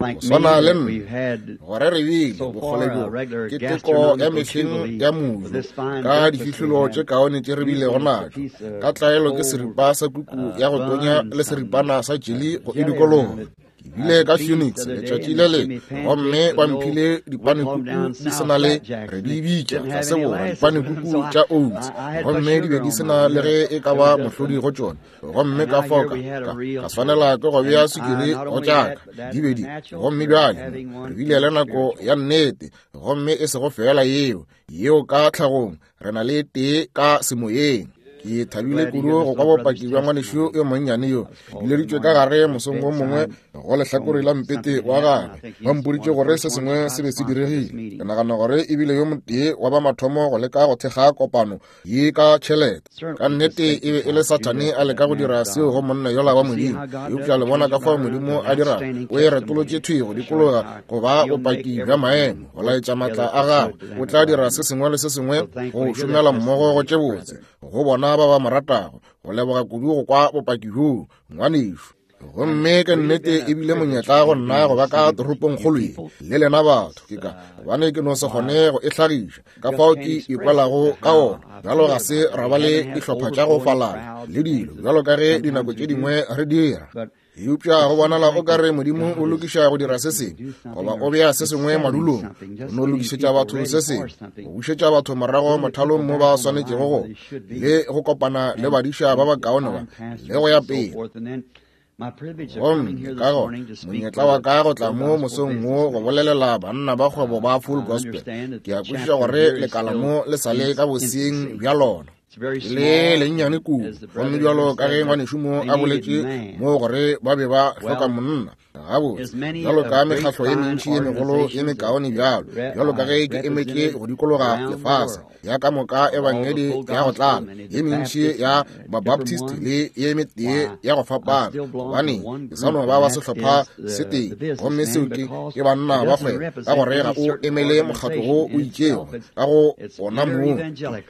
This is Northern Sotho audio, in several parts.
Go swana le nna, gore re bile bokgole bjo ke teko ya mehleng ya mojo ka difihlolo tše kaone tše re bilego natšo. Ka tlaelo ke seripa sa kuku ya go tonya le seripana sa jeli go e dikologa. Ke bile ka Phoenix letšatši le le gomme ba mphile dipanekuku di se na le re di bitša tlase borwa dipanekuku tša oats gomme di be di se na le ge e ka ba mohlodi go tšona gomme ka fao ka, ka, ka swanela ke go bea sukiri go tšaka di be di gomme bjale re bile le nako ya nnete gomme e sego fela yeo yeo ka tlhagong re na le tee ka semoyeng ke thabile kudu go kwa bopaki bja ngwanešu yo monnyane yo bileditšwe ka gare mosong wo mongwe go lehlakore la mpete wa gagwe ba mpoditše gore se sengwe se be se diregile ke nagana gore e bile yo motee wa ba mathomo go leka go thekga kopano ye ka tšhelete ka nnete e be e le sathane a leka go dira seo go monna yola wa modimo eupša le bona ka fao modimo a dira o e retolotše thwi go dikologa go ba bopaki bja maemo go laetša maatla a gagwe o tla dira se sengwe le se sengwe go šomela mmogo go tše botse go bona ba ba mo ratago go leboga kudu go kwa bopaki bjoo ngwanešu gomme ka nnete e bile monyetla go nna go ba ka toropongkgolo ye le lena batho ke ka gobane ke no se kgone go e hlagiša ka fao ke ikwelago ka ona bjalo ga se ra ba le dihlopha tša go falala le dilo bjalo ka ge dinako tše dingwe re dira eupša go bonala o ka re modimo o lokiša go dira se sengwe goba o bea se sengwe madulong o no lokišetša batho se sengwe go bušetša batho morago mothalong mo ba swanetšego go le go kopana le badiša ba bakaone ba le go ya pele gomme ka gona monyetla wa ka go tla mo mosong wo go bolelela banna ba kgwebo ba full gospel ke a kwešiša gore lekala mo le sa le ka boseng bja lona le lennyane kudu gomme bjalo ka ge ngwanešu mo a boletše mo gore ba be ba hloka monna gabotse bjalo ka mekgahlo ye mentši ye megolo ye mekaone bjalo bjalo ka ge ke emetše go dikologa lefase ya ka moka ebangedi ya go tlala ye mentši ya babaptist le ye metee ya go fapana gobane ke sa no ba wa sehlopha se tee gomme seo ke ke banna ba kgwebo ka gore ga o emele mokgatlo wo o itšego ka go ona mong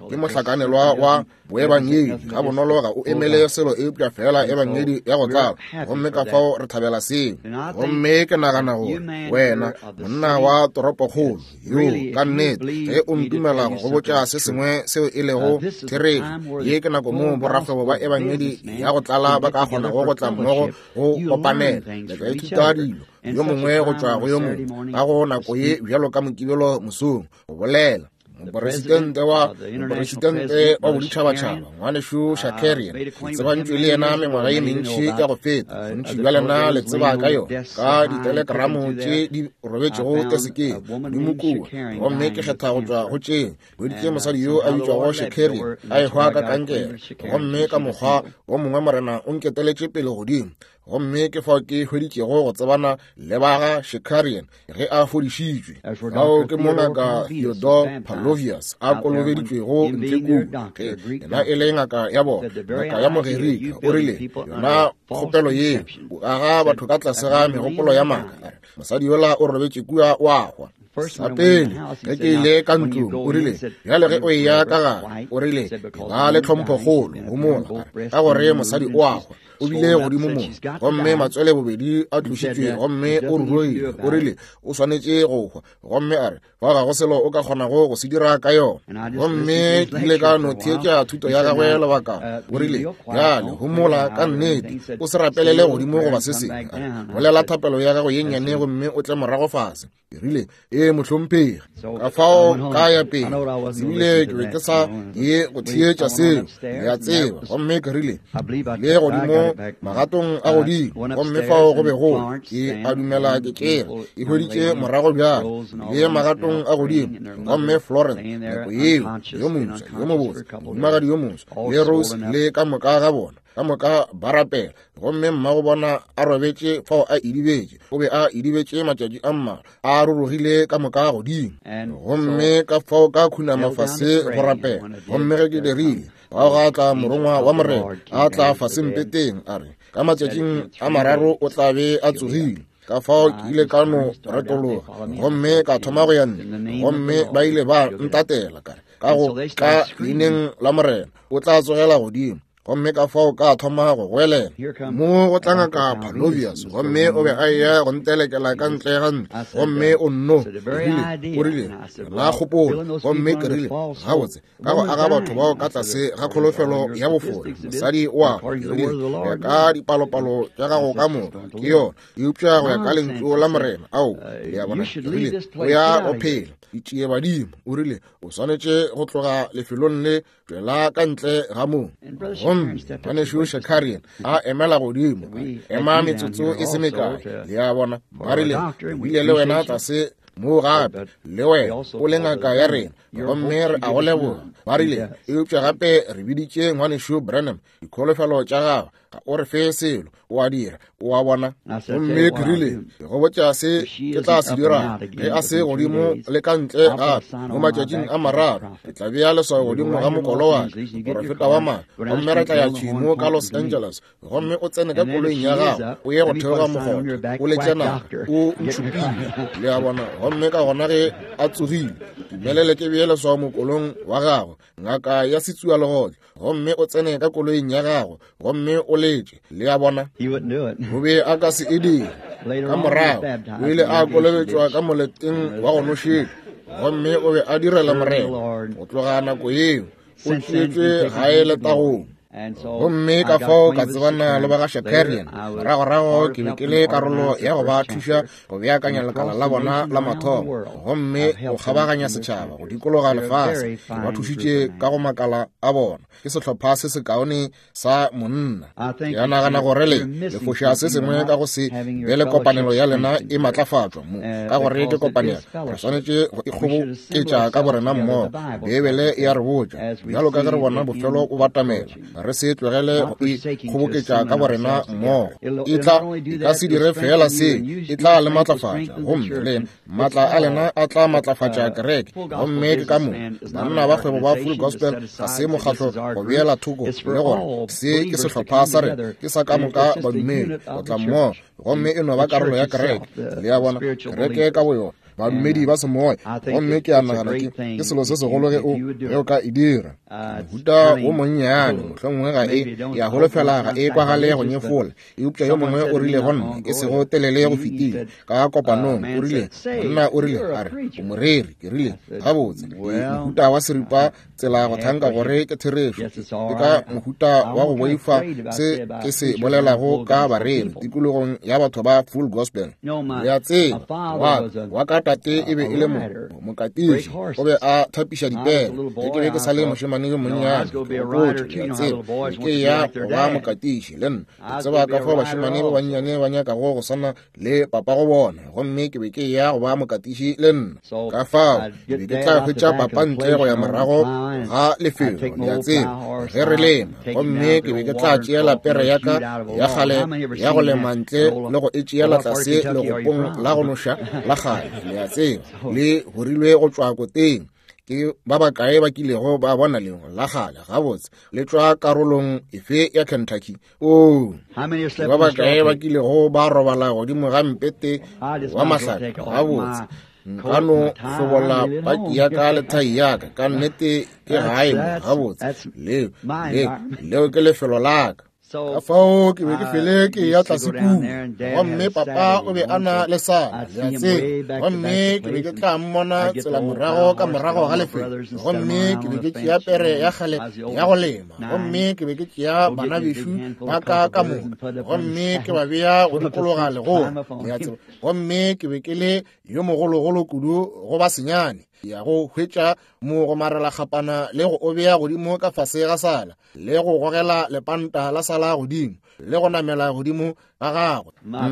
ke mohlakanelwa wa boebangedi ga bonolo ga o emele selo eupša fela ebangedi ya go tlala gomme ka fao re thabela seo gomme ke nagana gore wena monna wa toropokgolo yo ka nnete ge o ntumela go botša se sengwe seo e lego therešo ye ke nako moo borakgwebo ba ebangedi ya go tlala ba ka kgonago go tla mmogo go kopanela le tla ithuta dilo yo mongwe go tšwa go yo mongwe ka go nako ye bjalo ka mokibelo mosong go bolela moporesidente wa moporesidente wa boditšhabatšhaba ngwanešu shakarian ke tsebantšwe le yena mengwaga ye mentši ya go feta bontši bja lena le tseba ka yona ka ditelekramo tše di robetšego tesekeng godimo kua gomme ke kgetha go tšwa go tšeo hweditše mosadi yo a bitšwago shakarian a ehwa ka kankere gomme ka mokgwa wo mongwe morena o nketeletše pele godimo gomme ke fao ke hweditšego go tsebana le ba ga shikarian ge a fodišitšwe fao ke mo ngaka theodore palovius a kolobeditšwego ntle kua ge yena e le ngaka ya bona ngaka ya mogerika o rile yona kgopelo yeo o aga batho ka tlase ga megopolo ya maaka mosadi yola o robetše kua wa hwa sa pele ge ke ile ka ntlong o rile bjale ge o eya ka gare o rile ba le tlhomphokgolo gomola ka gore mosadi o a hwa o bile godimo mo gomme matswele bobedi a tlošitšwe gomme o ruroile o rile o swanetše go hwa gomme a re fa ga go selo o ka kgonago go se dira ka yona gomme ke ile ka no theetša thuto ya gagwe lebaka o rile bjale homola ka nnete o se rapelele godimo goba se sengwe bolela thapelo ya gago ye nnyane gomme o tle morago fase ke rile ee mohlomphegi ka fao ka ya pele ebile ke be ke sa ye go theetša seo ya tseba gomme ke rile le godimo magatong a godimo gomme fao go be go ke a dumela ke kere e hweditše morago bjalo le magatong a godimo gomme florence nako yeo yo moswa yo mobotse mohumagadi yo moswa le rose le ka moka ga bona ka moka ba rapela gomme mmago bona a robetše fao a idibetše o be a idibetše matšatši a mmalwa a rurugile ka moka godimo gomme ka fao ka khunama fase go rapela gomme ge ke dirile fao ga tla morongwa wa morena a tla fase mpeteng a re ka matšatšing a mararo o tla be a tsogile ka fao ke ile ka no retologa gomme ka thoma go ya ntle gomme ba ile ba ntatela kare ka go ka leineng la morena o tla tsogela godimo. Gomme ka fao ka thoma go goelela. Mo go tla Ngaka Panovius, gomme o be a eya go ntelekela ka ntle ga ntlo. Gomme o nno rile, o rile, la kgopolo. Gomme ke rile, gabotse, ka go aga batho bao ka tlase ga kholofelo ya bofora, mosadi o a hwa. Ke rile, go ya ka dipalopalo tša gago ka moka, ke yona. Eupša go ya ka Lentšu la Morena, ao, le a bona, ke rile, o ya go phela. Ditšie badimo, o rile, o swanetše go tloga lefelong le, tšwela ka ntle ga moo. Gomme ngwanešu Shakarian a emela godimo, ema metsotso e se mekae, le a bona. Ba rile, re bile le wena tlase moo gape, le wena o le ngaka ya rena, gomme re a go leboga. Ba rile, eupša gape re biditše ngwanešu Branham, dikholofelo tša gagwe ga o re fe selo, o a dira, o a bona. Gomme ke rile, ke go botša se ke tla se dira ge a se godimo le ka ntle gape mo matšatšing a mararo, ke tla bea leswao godimo ga mokolo wa ka, moprofeta wa maaka, gomme re tla ya tšhimo ka Los Angeles, gomme o tsene ka koloing ya gago o ye go theoga mokgotha, o letše naka, o ntšhupile, le a bona. Gomme ka gona ge a tsogile, dumelele ke bee leswao mokolong wa gagwe, ngaka ya setsualegotlo, gomme o tsene ka koloing ya gago gomme o letše, le a bona. O be a ka se e dire. Ka morago o ile a kolobetšwa ka moleteng wa go nošetšwa, gomme o be a direla Morena go tloga nako yeo. O tšeetšwe gae letagong. Gomme ka fao ka tsebana le ba ga Shakarian. Moragorago ke be ke le karolo ya go ba thuša go beakanya lekala la bona la mathomo, gomme go kgabaganya setšhaba go dikologa lefase. Ke ba thušitše ka go makala a bona. Ke sehlopha se sekaone sa monna. Ke a nagana gore le le foša se sengwe ka go se be le kopanelo ya lena e matlafatšwa mo, ka gore ke kopanelo. Re swanetše go ikgoboketša ka borena mmogo. Beibele e a re botša, bjalo ka ge re bona bofelo bo batamela, re se tlogele go ikgoboketša ka borena mmogo. E tla, e ka se dire feela se, e tla le matlafatša, gomme le maatla a lena a tla matlafatša kereke. Gomme ke ka moo banna ba kgwebo ba Full Gospel ga se mokgatlo go beela thoko le gore se ke sehlopha sa rena, ke sa ka moka badumedi go tla mmogo, gomme e no ba karolo ya kereke, le a bona, kereke ka boyona, badumedi ba semoya. Gomme ke a nagana ke, ke selo se segolo ge o, ge o ka e dira. Mohuta wo monnyane, mohlomongwe ga e, ke a holofela ga e kwagale go nyefola, eupša yo mongwe o rile go nna e sego telele go fetile ka kopanong, o rile, monna o rile, a re, o moreri. Ke rile, gabotse, ke mohuta wa seripa tsela go thanka gore ke therešo. Ke ka mohuta wa go boifa se ke se bolelago ka bareri tikologong ya batho ba Full Gospel. Le a tseba, wa, wa ka tate e be e le mo, mokatiši, o be a thapiša dipere. Ge ke be ke sa le mošemane yo monnyane, ke gopotše, le a tseba, be ke ya go ba mokatiši le nna. Ke tseba ka fao bašemane ba bannyane ba nyakago go swana le papa go bona, gomme ke be ke ya go ba mokatiši le nna. Ka fao ke be ke tla hwetša papa ntle go ya morago ga lefelo, le a tseba, ge re lema, gomme ke be ke tla tšeela pere ya ka ya kgale ya go lema ntle le go e tšeela tlase legopong la go noša la kgale, le a tseba, le horilwe go tšwa koteng. Ke ba bakae ba kilego ba bona lengwe la kgale? Gabotse, le tšwa karolong efe ya Kentucky? Oo, ke ba bakae ba kilego ba robala godimo ga mpete wa mahlaka? Gabotse, nka no hlobola paki ya ka le thai ya ka, ka nnete ke gae mo. Gabotse, leo, leo, leo ke lefelo la ka. Ka fao ke be ke fele ke ya tlase kua, gomme papa o be a na le sala, le a tseba, gomme ke be ke tla mmona tsela morago ka morago ga lefelo, gomme ke be ke tšea pere ya kgale ya go lema, gomme ke be ke tšea bana bešo ba ka ka moka, gomme ke ba bea go dikologa legora, le a tseba, gomme ke be ke le yo mogologolo kudu go ba senyane, ya go hwetša mo go marela kgapana le go o bea godimo ka fase ga sala, le go gogela lepanta la sala godimo, le go namela godimo ga gagwe. Mma,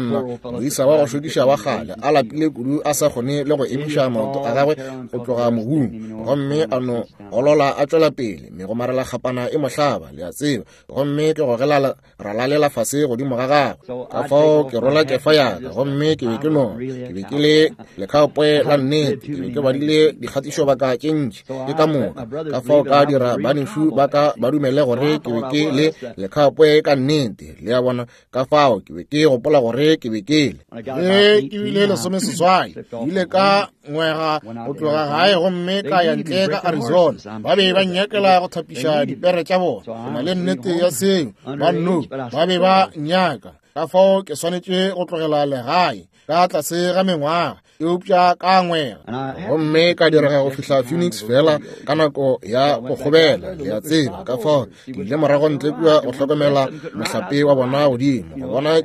moisa wa go šokiša wa kgale, a lapile kudu a sa kgone le go emiša maoto a gagwe go tloga mobung, gomme a no golola a tšwela pele, me go marela kgapana e mo hlaba, le a tseba, gomme ke gogela ralalela fase godimo ga gagwe. Ka fao ke rola kefa ya ka, gomme ke be ke no, ke be ke le lekhaopoe la nnete, ke be ke badile dikgatišobaka tše ntši, ke ka moka. Ka fao ka dira banešu ba ka ba dumele gore ke be ke le lekhaopoe ka nnete, le a bona. Ka fao ke be Ke be ke gopola gore ke be ke le. Ge ke bile 18, ke ile ka ngwega go tloga gae gomme ka ya ntle ka Arizona. Ba be ba nnyakela go thapiša dipere tša bona. Ke na le nnete ya seo. Ba nno ba be ba nnyaka. Ka fao ke swanetše go tlogela legae ka tlase ga mengwaga, eupša ka ngwega gomme ka direga go fihla Phoenix fela ka nako ya go kgobela, le a tseba. Ka fao ke ile morago ntle kua go hlokomela mohlape wa bona godimo, go bona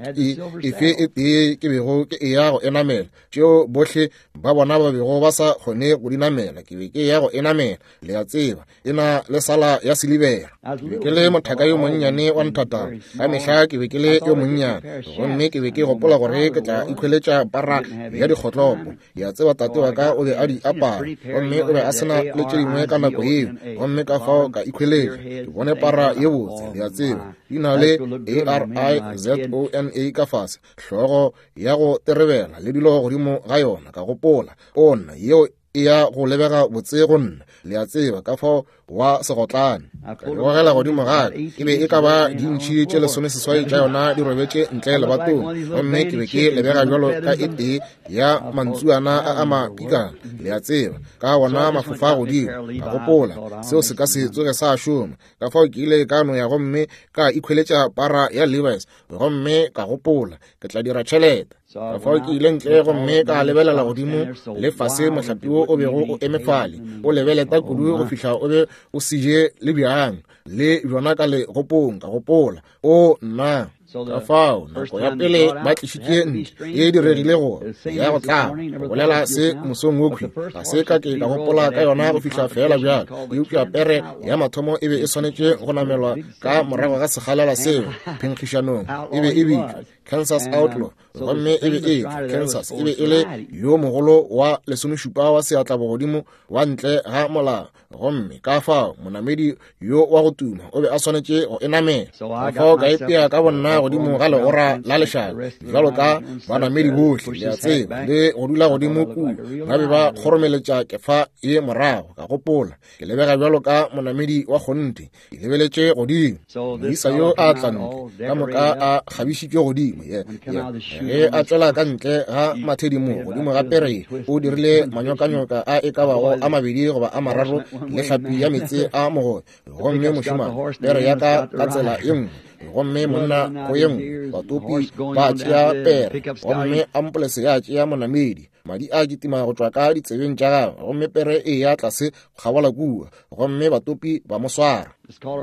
efe e tee ke bego ke eya go enamela, tšeo bohle ba bona ba bego ba sa kgone go di namela, ke be ke eya go enamela, le a tseba. E na le sala ya silibera. Ke be ke le mothaka yo monnyane wa nthatana, ka mehla ke be ke le yo monnyane, gomme ke be ke gopola gore ke tla ikhweletša para ya dikgotlopo. Ke a tseba tate wa ka o be a di apara, gomme o be a sena le tše dingwe ka nako yeo, gomme ka fao ka ikhweletša. Ke bone para ye botse, le a tseba, di na le A-R-I-Z-O-N-A ka fase, hlogo ya go terebela le dilo godimo ga yona. Ka gopola, o nna, yeo e ya go lebega botse go nna, le a tseba, ka fao wa segotlane. Ka e gogela godimo gape, e be e ka ba dintšhi tše 18 tša yona di robetše ntle lebatong, gomme ke be ke lebega bjalo ka e tee ya mantsuana a a mapikana, le a tseba, ka wona mafofa godimo. Ka gopola, seo se ka se tsoge sa šoma. Ka fao ke ile ka no ya gomme ka ikhweletša para ya Levi's, gomme ka gopola, ke tla dira tšhelete. Ka fao ke ile ntle gomme ka lebelela godimo le fase mohlape wo o bego o eme fale, o lebeleta kudu go fihla o be o se je le bjang le bjona ka legopong. Ka gopola, o nna. Ka fao nako ya pele ba tlišitše ntle e diregile go ya go tla bolela se mosong wokhwi, ga se ka ke ka gopola ka yona go fihla fela bjalo. Eupša pere ya mathomo e be e swanetše go namelwa ka morago ga sekgalela seo phenkgišanong, e be e bitšwa Kansas Outlaw, gomme e be e Kansas e be e le yo mogolo wa 17 wa seatla bogodimo wa ntle ga molao, gomme ka fao monamedi yo wa go tuma o be a swanetše go enamela. Ka fao ka ipea ka bonna godimo ga legora la lešaba bjalo ka banamedi bohle, le a tseba, le go dula godimo kua, ba be ba kgoromeletša kefa ye morago. Ka gopola, ke lebega bjalo ka monamedi wa kgonthe. Ke lebeletše godimo, moisa yo a tla ntle ka moka a kgabišitšwe godimo, ge a tšwela ka ntle ga mathedimo godimo ga pere, o dirile manyokanyoka a e ka bago a 2 goba a 3 le hlapi ya meetse a mogobe, gomme mošemane pere ya ka ka tsela ye nngwe, gomme monna go ye nngwe, batopi ba tšea pere, gomme ampolese ya tšea monamedi, madi a kitima go tšwa ka ditsebeng tša gagwe, gomme pere e ya tlase kgabola kua, gomme batopi ba mo swara.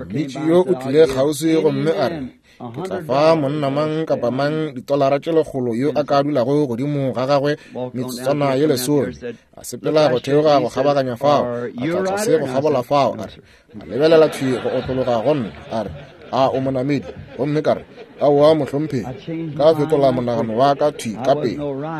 Mmitši yo o tlile kgauswi gomme a re, ke tla fa monna mang kapa mang ditolara tše 100 yo a ka dulago godimo ga gagwe metsotswana ye 10. A sepela go theoga go kgabaganya fao, a tla tlase go kgabola fao, a re, a lebelela thwi go otlologa go nna, a re, a o monamedi? Gomme ka re, aowa mohlomphegi. Ka fetola monagano wa ka thwi ka pele,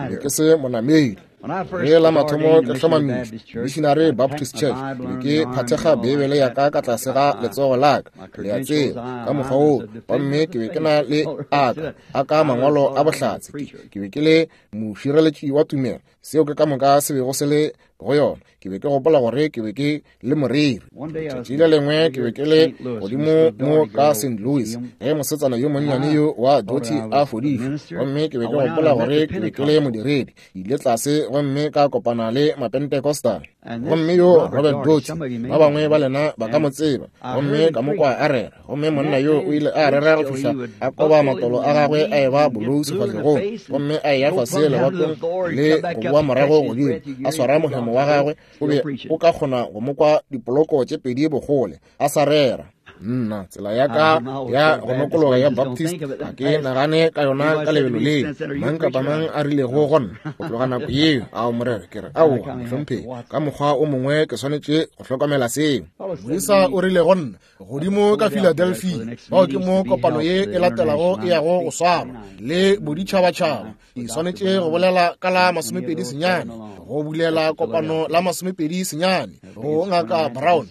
be ke se monamedi. Ge la mathomo ke hlomamišwa Missionary Baptist Church, ke be ke phathega Beibele ya ka ka tlase ga letsogo la ka, le a tseba, ka mokgwa woo, gomme ke be ke na le a ka mangwalo a bohlatse. Ke be ke le mošireletši wa tumelo, seo ke ka moka se bego se le go yona. Ke be ke gopola gore ke be ke le moreri. Letšatši le lengwe ke be ke le godimo mo ka St. Louis ge mosetsana yo monnyane yo wa Dottie a fodišwa, gomme ke be ke gopola gore ke be ke le modiredi. Ke ile tlase gomme ka kopana le Mapentecostal, gomme yo Robert Dottie, ba bangwe ba lena ba ka mo tseba, gomme ka mo kwa a rera. Gomme monna yo o ile a rera go fihla a koba matolo a gagwe a eba bolou sefahlegong, gomme a eya fase lebatong le go boa morago godimo a swara mohemo wa gagwe. O be o ka kgona go mo kwa dipoloko tše 2 bogole a sa rera. Nna tsela ya ka ya go nokologa ya Baptist ga ke nagane ka yona ka lebelo leo mang kapa mang a rilego go nna go tloga nako yeo. Ao morere, ke re aowa mohlomphegi, ka mokgwa o mongwe ke swanetše go hlokomela seo. Moisa o rile go nna godimo ka Philadelphia, bao ke mo kopano ye e latelago e yago go swarwa le boditšhabatšhaba. Ke swanetše go bolela ka la 29, go bulela kopano la 29 go Ngaka Brown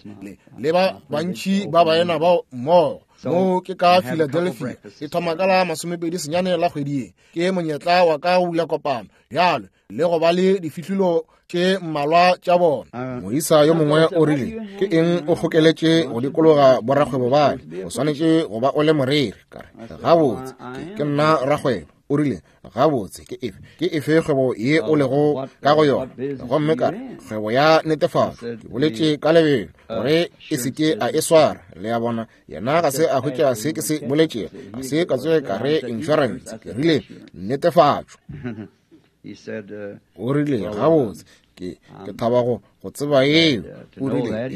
le ba bantši ba baena bao mmogo. Moo ke ka Philadelphia, e thoma ka la 29 la kgwedi ye. Ke monyetla wa ka go bula kopano bjalo le go ba le difihlolo tše mmalwa tša bona. Moisa yo mongwe o rile, ke eng o kgokeletše go dikologa borakgwebo bale? O swanetše go ba o le moreri. Ka re, gabotse, ke nna rakgwebo. O rile, Gabotse, ke efe, ke efe kgwebo ye o lego ka go yona? Gomme ka re, Kgwebo ya netefatšo. Ke boletše ka lebelo gore e se ke a e swara. Le a bona, yena ga se a hwetša se ke se boletšego. Ga se ka tsoge ka re insurance. Ke rile netefatšo. O rile, Gabotse, ke, ke thaba go, go tseba eo. O rile,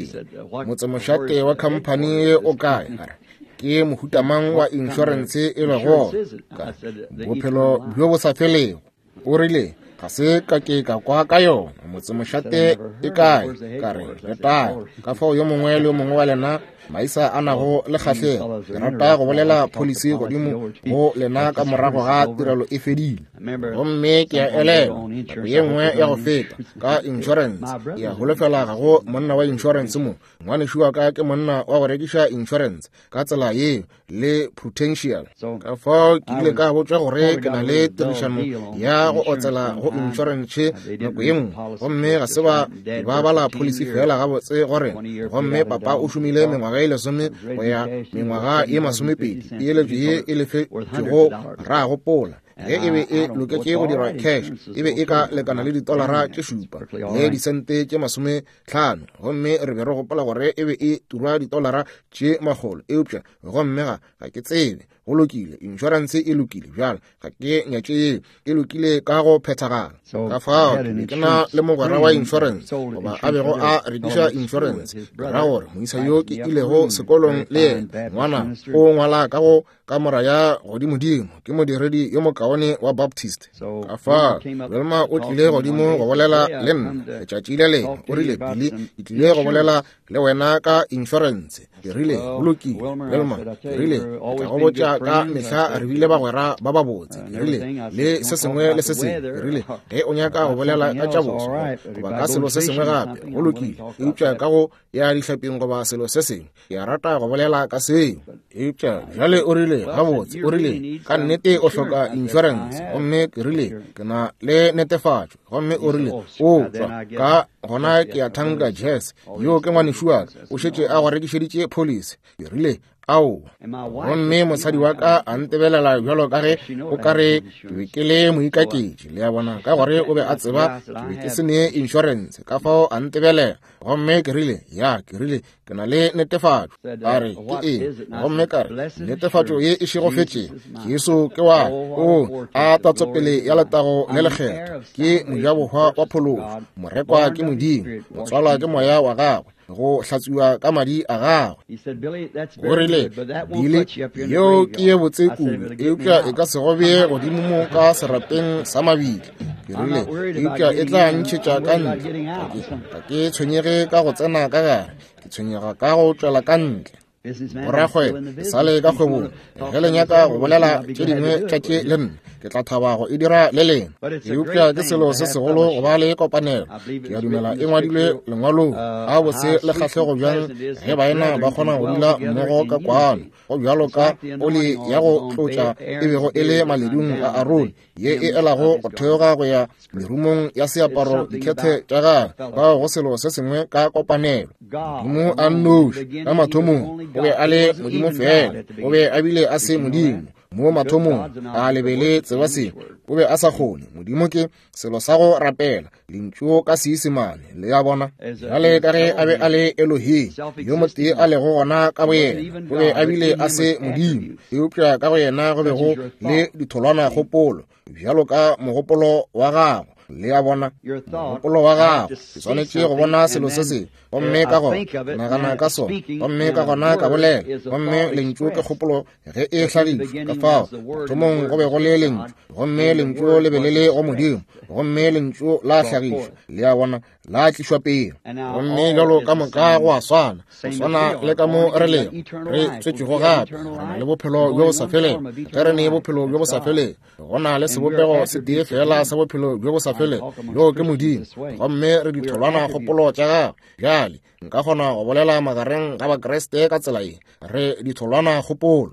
Motsemošate wa khamphani ye o kae? A re, Ke mohuta mang wa insurance e lego? Ka re, Bophelo bjo bo sa felego. O rile, Ga se ka ke ka kwa ka yona. Motsemošate e kae? Ka re, Retaya. Ka fao yo mongwe le yo mongwe wa lena maisa a nago le kgahlego, ke rata go bolela pholisi godimo go lena ka morago ga tirelo e fedile. Gomme ke a elelwa nako ye nngwe ya go feta ka insurance, ke a holofela ga go monna wa insurance mo. Ngwanešu wa ka ke monna wa go rekiša insurance ka tsela yeo le Prudential. Ka fao ke ile ka botšwa gore ke na le tirišano ya go otsela go insurance nako ye nngwe, gomme ga se ba ba bala policy fela gabotse gore. Gomme papa o šomile mengwaga e 10 go ya mengwaga ye 20, peeletšo ye e lefetšwego ra gopola ge e be e loketše go dirwa cash e be e ka lekana le ditolara tše 7 le disente tše 50, gomme re be re gopola gore e be e turwa ditolara tše 100, eupša gomme ga ke tsebe. Go lokile, insurance e lokile bjale, ga ke nyatše yeo, e lokile ka go phethagala. Ka fao ke be ke na le mogwera wa insurance goba a bego a rekiša insurance, ke ra gore moisa yo ke ilego sekolong le yena, ngwana o ngwala ka go kamora ya godimodimo, ke modiredi yo mokaone wa Baptist. Ka fa Wilma o tlile godimo go bolela le nna letšatši le lengwe, o rile, Billy, ke tlile go bolela le wena ka insurance. Ke rile, go lokile, Wilma. Ke rile, ke tla go botša, ka mehla re bile bagwera ba babotse. Ke rile, le se sengwe le se sengwe. Ke rile, ge o nyaka go bolela ka tša boso goba ka selo se sengwe gape, go lokile, eupša ka go ya dihlaping goba selo se sengwe, ke a rata go bolela ka seo. Eupša bjale o rile, gabotse, o rile, ka nnete o hloka insurance. Gomme ke rile, ke na le netefatšo. Gomme o rile, o tswa ka gona ke a thanka Jess, yo ke ngwanešu wa ka, o šetše a go rekišeditše policy. Ke rile, aowa. Gomme mosadi wa ka a ntebelela bjalo ka ge o ka re ke be ke le moikaketši, le a bona, ka gore o be a tseba ke be ke se ne insurance, ka fao a ntebelela. Gomme ke rile, ya, ke rile, ke na le netefatšo. A re, ke eng? Gomme ka re, netefatšo ye e šegofetšego, Jesu ke wa o a tatsopele ya letago le lekgetho, ke mojabohwa wa phološo, morekwa ke Modimo, motswalwa ke moya wa gagwe, go hlatswiwa ka madi a gagwe. O rile, Billy, yeo ke ye botse kudu, eupša e ka se go bee godimo mo ka serapeng sa mabitla. Ke rile, eupša e tla ntšhetša ka ntle. Ga ke tshwenyege ka go tsena ka gare, ke tshwenyega ka go tšwela ka ntle. Borakgwebo, ke sa le ka kgwebong. Ge le nyaka go bolela tše dingwe tša tše le nna, ke tla thaba go e dira le lena. Eupša ke selo se segolo go ba le kopanelo. Ke a dumela e ngwadilwe lengwalong. A botse le kgahlego bjang ge baena ba kgona go dula mmogo ka kwano, go bjalo ka oli ya go tlotša e bego e le maledung a Arone, ye e elago go theoga go ya merumong ya seaparo dikhethe tša gagwe. Fao go selo se sengwe ka kopanelo. Modimo a nnoši ka mathomong o be a le Modimo fela, o be a bile a se Modimo mo mathomong, a le be le tseba se, o be a sa kgone. Modimo ke selo sa go rapela, lentšu ka Seisemane, le a bona. Bjale ka ge a be a le Elohim, yo motee a lego gona ka boyena, o be a bile a se Modimo, eupša ka go yena go be go le ditholwana kgopolo, bjalo ka mogopolo wa gago, le a bona, mogopolo wa gago. Ke swanetše go bona selo se sengwe, gomme ka gona nagana ka sona, gomme ka gona ka bolela, gomme lentšu ke kgopolo ge e hlagišwa. Ka fao mathomong go be go le lentšu, gomme lentšu le be le le go Modimo, gomme lentšu la hlagišwa, le a bona, la tlišwa pele. Gomme bjalo ka moka go a swana, go swana le ka mo re lego, re tswetšwego gape, re na le bophelo bjo bo sa felego. Ge re ne bophelo bjo bo sa felego, go na le sebopego se tee fela sa bophelo bjo bo sa felego, yoo ke Modimo, gomme re ditholwana kgopolo tša gagwe. Bjale nka kgona go bolela magareng ga Bakriste ka tsela ye, re ditholwana kgopolo.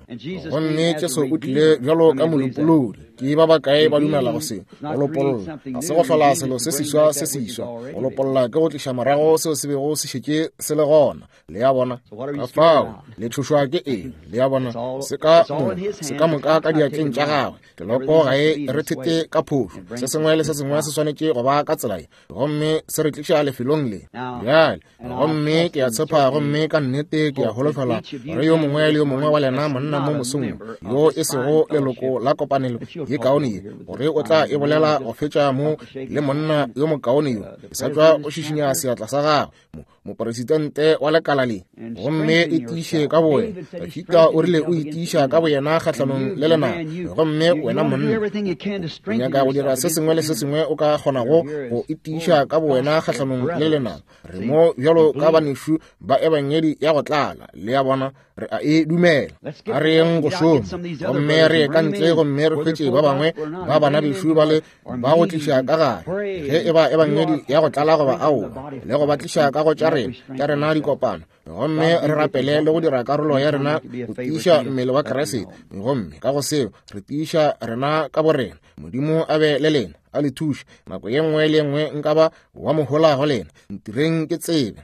Gomme Jesu o tlile bjalo ka molopolodi. Ke ba bakae ba dumela go se? Go lopolla ga se go hlola selo se seswa se seswa. Go lopolla ke go tliša morago seo se bego se šetše se le gona. Le a bona? Ka fao le tšhošwa ke eng? Le a bona? Se ka mo, se ka moka ka diatleng tša gagwe. Tleloko ga e re thete ka phošo. Se sengwe le se sengwe se swanetše go ba ka tsela ye, gomme se re tliša lefelong le bjale. Gomme ke a tshepa, gomme ka nnete ke a holofela gore yo mongwe le yo mongwe wa lena monna mo mosong yo e sego leloko la kopanelo ye kaone ye, gore o tla e bolela go fetša mo le monna yo mokaone yo ke sa tšwa go šišinya seatla sa gagwe, moporesitente wa lekala le, gomme e tiiše ka bowena. Dafida o rile o itiiša ka boyena kgahlanong le lenaba. Gomme wena monna, o nyaka go dira se sengwe le se sengwe o ka kgonago go itiiša ka bowena kgahlanong le lenaba. Re mo bjalo ka banešu ba ebangedi ya go tlala, le a bona, re a e dumela. A re yeng go šoma, gomme re ye ka ntle gomme re hwetše ba bangwe ba bana bešo ba le ba go tliša ka gare, ge e ba ebangedi ya go tlala goba aowa, le go ba tliša ka go tša rena, tša rena dikopano, gomme re rapele le go dira karolo ya rena go tiiša mmele wa Kriste. Gomme ka go seo re tiiša rena ka borena. Modimo a be le lena, a le thuše. Nako ye nngwe le ye nngwe nka ba wa mohola go lena, ntireng ke tsebe.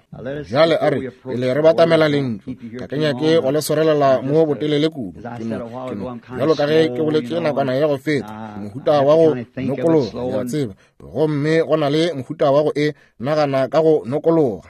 Bjale a re pele re batamela lentšu, ga ke nyake go le swarelela mo botelele kudu. Ke no, ke no, bjalo ka ge ke boletše nakwana ya go feta, mohuta wa go nokologa, le a tseba, gomme go na le mohuta wa go e nagana ka go nokologa,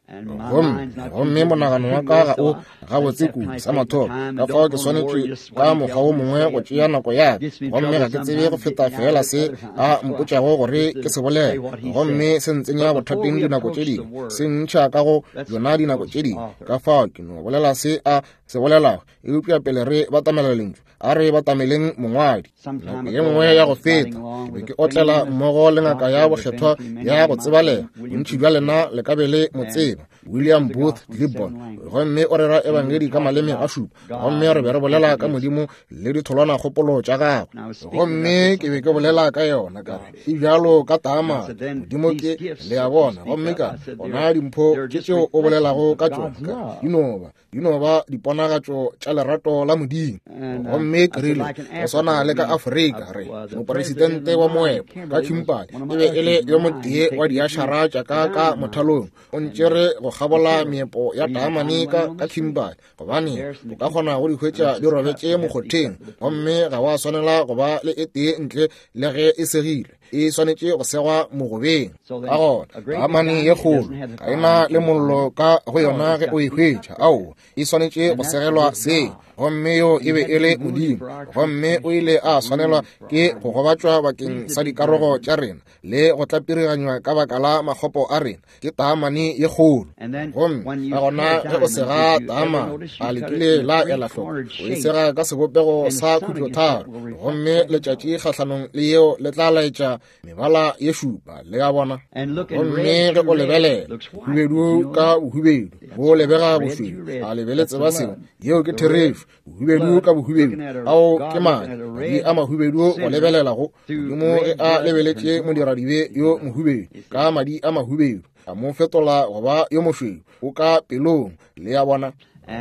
gomme, gomme monagano wa ka ga o gabotse kudu sa mathomo, ka fao ke swanetše ka mokgwa wo mongwe go tšea nako ya ka, gomme ga ke tsebe go feta feela se a mpotšago gore ke se bolele, gomme se ntsenya bothateng dinako tše dingwe, se ntšha ka go yona dinako tše dingwe, ka fao ke no bolela se a se bolelago. Eupša pele re batamela lentšu, a re batameleng mongwadi. Nako ye nngwe ya go feta ke be ke otlela mmogo le ngaka ya bokgethwa ya go tsebalega, bontši bja lena le ka be le mo tseba, William Booth Clibborn, gomme o rera ebangedi ka maleme a šupa, gomme re be re bolela ka Modimo le ditholwana kgopolo tša gagwe, gomme ke be ke bolela ka yona, ka re e bjalo ka taamane, Modimo ke, le a bona, gomme ka bona dimpho ke tšeo o bolelago ka tšona, ka di no ba, di no ba diponagatšo tša lerato la Modimo. Gomme ke rile, go swana le ka Afrika, re moporesitente wa moepo ka Kimberley e be e le yo motee wa diašara tša ka ka mothalong, o ntšere go kgabola meepo ya taamane ka, ka Kimberley, gobane o ka kgona go di hwetša di robetše mokgotheng, gomme ga wa swanela go ba le e tee ntle le ge e segilwe, e swanetše go segwa mogobeng. Ka gona taamane ye kgolo ga e na le mollo ka go yona ge o e hwetša, aowa, e swanetše go segelwa seng, gomme yo e be e le Modimo, gomme o ile a swanelwa ke go gobatšwa bakeng sa dikarogo tša rena le go tlapiriganywa ka baka la makgopo a rena. Ke taamane ye kgolo. Gomme ka gona ge o sega taamane, a le kile la ela hloko, o e sega ka sebopego sa khutlotharo, gomme letšatši kgahlanong le yeo le tla laetša mebala ye šupa, le a bona. Gomme ge o lebelela bohubedu ka bohubedu, bo lebega bošweu, a le be le tseba seo? Yeo ke therešo. Bohubedu ka bohubedu, ao ke madi, madi a mahubedu go lebelela go Modimo ge a lebeletše modiradibe yo mohubedu ka madi a mahubedu, a mo fetola go ba yo mošweu, o ka pelong, le a bona.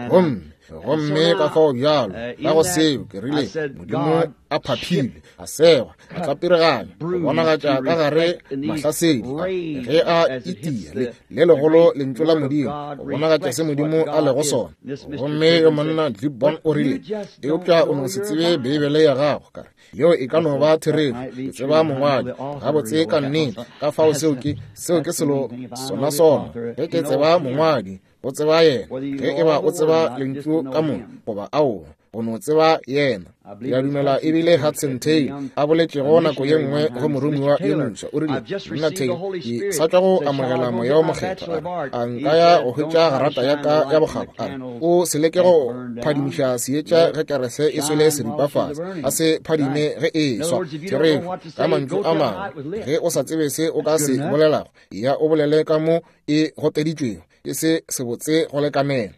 Gomme, gomme ka fao bjalo, ka go seo, ke rile, Modimo a phaphile, a segwa, a tlapireganya, go bonagatša ka gare mahlasedi ge a itia le, le legolo lentšu la Modimo, go bonagatša se Modimo a lego sona. Gomme yo monna Clibborn o rile, eupša o no se tsebe Beibele ya gago. Ka re, yeo e ka no ba therešo, ke tseba mongwadi gabotse ka nnete, ka fao seo ke, seo ke selo sona sona. Ge ke tseba mongwadi, o tseba yena. Ge e ba o tseba lentšu ka moka goba aowa, o no tseba yena. Ke a dumela e bile Hudson Taylor a boletšego nako ye nngwe go moromiwa yo moswa, o rile, Monna Taylor, ke sa tšwa go amogela Moya wo Mokgethwa. A re, a nka ya go hwetša garata ya ka ya bokgabo? A re, o se leke go phadimiša seetša ge kerese e swele seripa fase, a se phadime ge e swa. Therešo, ka mantšu a mangwe, ge o sa tsebe se o ka se bolelago, ya o bolele ka mo e goteditšwego, ke se sebotse go lekanela.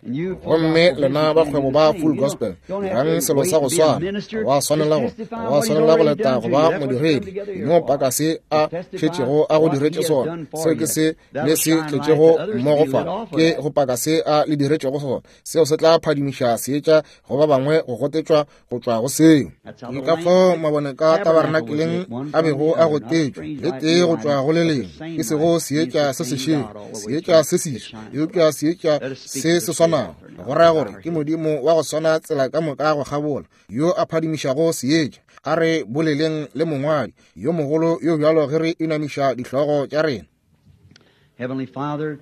Gomme lena ba kgwebo ba Full Gospel Dirang selo sa go swana. Ga wa swanela go, ga wa swanela go leta go ba modiredi. E no paka se A šetšego a go diretše sona. Seo ke se le se tletšego mmogo fa, ke go paka se A le diretšego sona. Seo se tla phadimiša seetša go ba bangwe go gotetšwa go tšwa go seo. Ke ka fao mabone ka tabarenakeleng a bego a gotetšwe, le tee go tšwa go le lengwe, e sego seetša se sešweu, seetša se sešo, eupša seetša se se swanago. Go raya gore ke Modimo wa go swana tsela ka moka go kgabola, yo a phadimišago seetša. A re boleleng le mongwadi yo mogolo yo bjalo ge re inamiša dihlogo tša rena. Heavenly Father,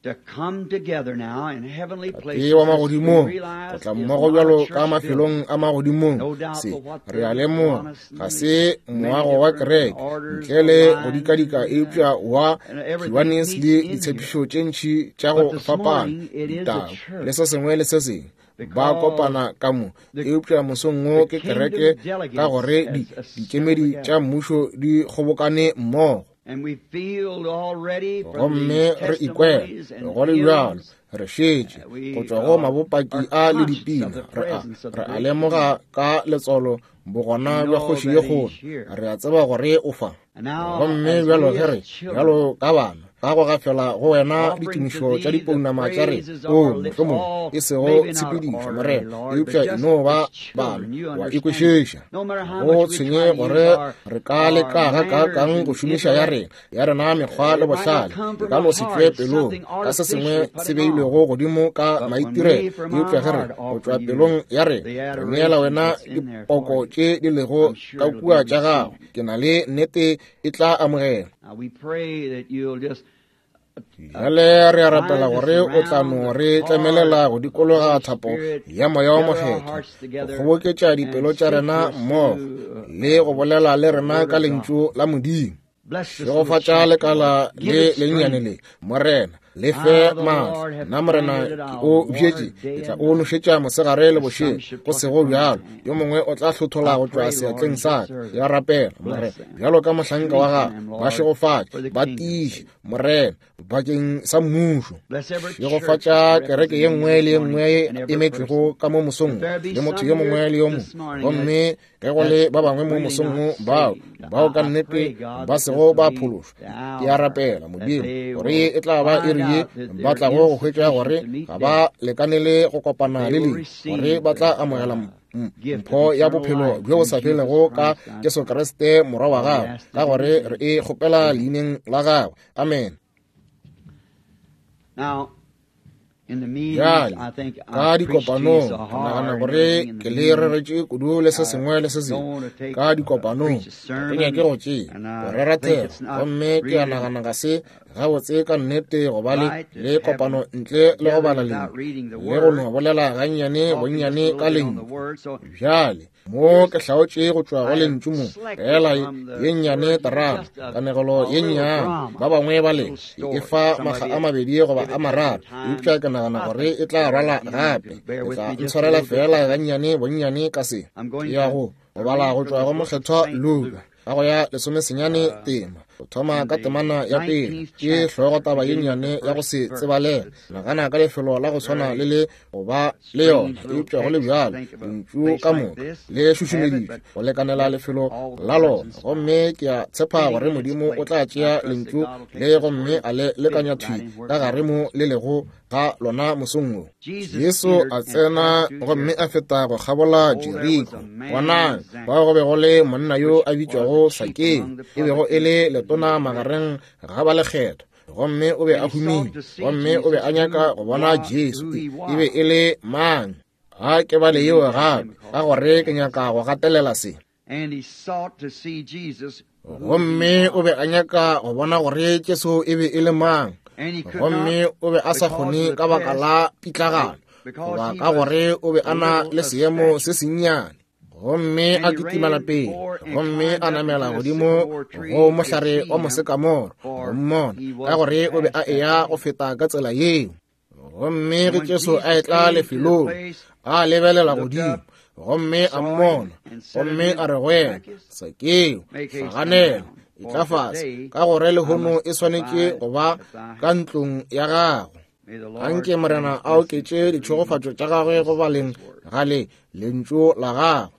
to come together now in heavenly Tate places, wa as we magodimong, go realize tla is mmogo not a bjalo ka church mafelong building. a magodimong, No doubt se but what re a the lemoga honest ga and se many moago wa different kereke orders, ntle le go lines, dikadika, eupša wa and everything Kiwanis meets le in here. ditshepišo tše ntši tša go But this fapana, morning it is a ditau church le se sengwe le se sengwe ba because kopana ka mo. the, Eupša mosong wo the ke kereke kingdom ka delegates gore has dikemedi assembled tša together. mmušo di kgobokane mmogo. And we feel already from Gomme these re ikwela testimonies and go le bjalo, hymns, re šetše go we tšwa go mabopaki are a le conscious of dipina, the re a presence of the re a great King. lemoga ka letswalo We bogona bja know kgoši ye that kgolo. he's here. Re a tseba gore o fa. And now, Gomme as bjalo we ge as re children, bjalo ka bana ka go gafela go wena offering to ditumišo tša thee the dipounama tša rena, praises of o our lips, mohlomongwe all e sego maybe not tshepedišo, orderly, Morena, Lord, but eupša e just no ba as bana, children, you wa understand it. ikwešiša. No matter how Go much we try tshwenye to use gore our re ka our leka manners gakaakang go and šomiša ya intellect, rena ya rena mekgwa le it might not bohlale, come e from ka our no se heart. tšwe It's pelong something ka se sengwe artificially put se it on. beilwego godimo ka But when we maitirelo, from our eupša ge re heart go offer tšwa you pelong ya rena the re neela adoration wena that's in there for dipoko you, tše di lego I'm sure ka it'll be kua tša gago, received. ke na le nnete e tla amogela. Now we pray that you'll just Bjale re a rapela bind us gore o tla around no the re cord tlemelela go of the dikologa Holy thapo Spirit, ya moya wa gather our mokgethwa, hearts go together, kgoboketša and dipelo tša speak rena to us mmogo through le go bolela le the rena Word ka of God. lentšu la Modimo. Bless this little Šegofatša chapter, Lord. lekala Give le it lennyane strength. le, Morena, le fe I, the maatla. Lord, have Nna Morena planted it, ke I'll o water bjetše, it day ke tla and o night, nošetša mosegare le lest some bošego. should Go pluck it sego from his bjalo, hand. yo mongwe o tla hlothola I go tšwa pray, Lord, seatleng in your sa ka. servant. Ya rapela, Bless Morena, them. bjalo ka mohlanka wa Strengthen gago, them, ba Lord, šegofatše, for the ba kingdom's tiiše, sake. Morena, bakeng sa mmušo. Bless every church Šegofatša that's kereke ye represented nngwe here le this ye morning nngwe and e every emetšwego person. ka mo mosong If wo, there be le motho some yo mongwe here le yo mongwe. this morning that Gomme ge go le that's ba bangwe mo really mosong not wo bao saved, bao ka I nnete pray, God, ba that this sego will ba be phološwa, the ke a hour rapela that Modimo they gore will e tla ba find iri ye out that ba they're tlago go hwetša insufficient gore to meet ga death, ba lekanele go kopana that le they will lehu, gore receive ba tla the amogela gift of mpho ya eternal bophelo life bjo bo through sa Jesus felego ka Christ our Jesu Son. Kriste Morwa wa For we gagwe, ask ka it in gore his re name. e kgopela Amen. leineng la gagwe. Amen. Now, in the meetings, Bjale I think ka I've preached to you dikopanong so ke nagana hard and gore everything in ke the le meetings. reretše kudu le se I sengwe le se don't sengwe want to take ka dikopanong, preach a ga ke nyake sermon, go tšea and go I rera think thero, it's not gomme ke a really nagana ga se gabotse ka nnete go ba le right to le have kopano a ntle le go gathering bala without lentšu reading the le go Word, no bolela gannyane talking just a bonnyane little ka bit on the lentšu. Word. So Bjale mo here's ke hlaotše go tšwa go I have lentšu mo selected fela from the ye nnyane Word terama, just a, kanegelo a ye little nnyane. drama, Ba bangwe ba a le little e story. fa Some of makga a you mabedi goba give a it mararo, different eupša times. ke nagana I gore think e tla rwala you know, if gape. you'll bear Le with tla me just a ntshwarela little bit. fela gannyane bonnyane ka se. I'm Ke going ya to go go bala read go from tšwa the go book of Mokgethwa St. Luka Luke ka go ya lesomesenyane tema, go thoma in ka the temana ya pele 19th ke chapter, hlogotaba ye beginning with the nnyane ya go first se verse. tsebalege. It's a Nagana ka lefelo la go swana very le le go ba le yona, strange little eupša go le text to bjalo think of a lentšu place ka like moka this le have it, šušumeditšwe but go lekanela yet lefelo all the la words lona. inspired. Gomme ke a tshepa Fitting gore in its Modimo o place. tla I tšea trust that lentšu God will take le this gomme word a le and fit lekanya it right thwi in where ka it gare belongs. mo le lego ga lona mosong wo. Jesus Jesu entered a and tsena passed through gomme a Jericho. feta go kgabola Behold, there was Jeriko. a man Bonang, named bao go Zacchaeus, be go le monna yo which a was a bitšwago chief Sakeo, among the e bego e publicans le and letona was rich. magareng ga ba lekgetho, gomme o be And a he sought humile, to see gomme o be Jesus, a nyaka who go bona Jesu who he e be e was. le mang. Ga ke bale Let me yeo read that again gape, because ka it's gore ke fast. nyaka go gatelela se. And he sought to see Jesus, who he Gomme o be was. a nyaka go bona gore Jesu e be e le mang, And he could gomme not o be a sa because of kgone the ka baka press, la pitlagano, because goba he ka was gore o be a na little le of seemo se stature. sennyane. Gomme And a he kitimela ran pele, before and gomme climbed a up namela into a godimo sycamore go tree to mohlare see wa him, mosekamoro go for mmona, he ka was to gore o be pass a that eya go way. feta ka tsela yeo. Gomme And ge when Jesu a Jesus etla came to the lefelong, place, a lebelela he looked godimo, up, gomme a saw him, mmona, and said unto gomme a him, re go yena, Zacchaeus, Sakeo, make haste, come hlaganela, down, etla for fase, today ka gore I lehono must e swanetše abide go ba at thy ka house. ntlong ya gago. Anke Morena a oketše ditšhegofatšo tša gagwe go baleng ga le lentšu la gagwe.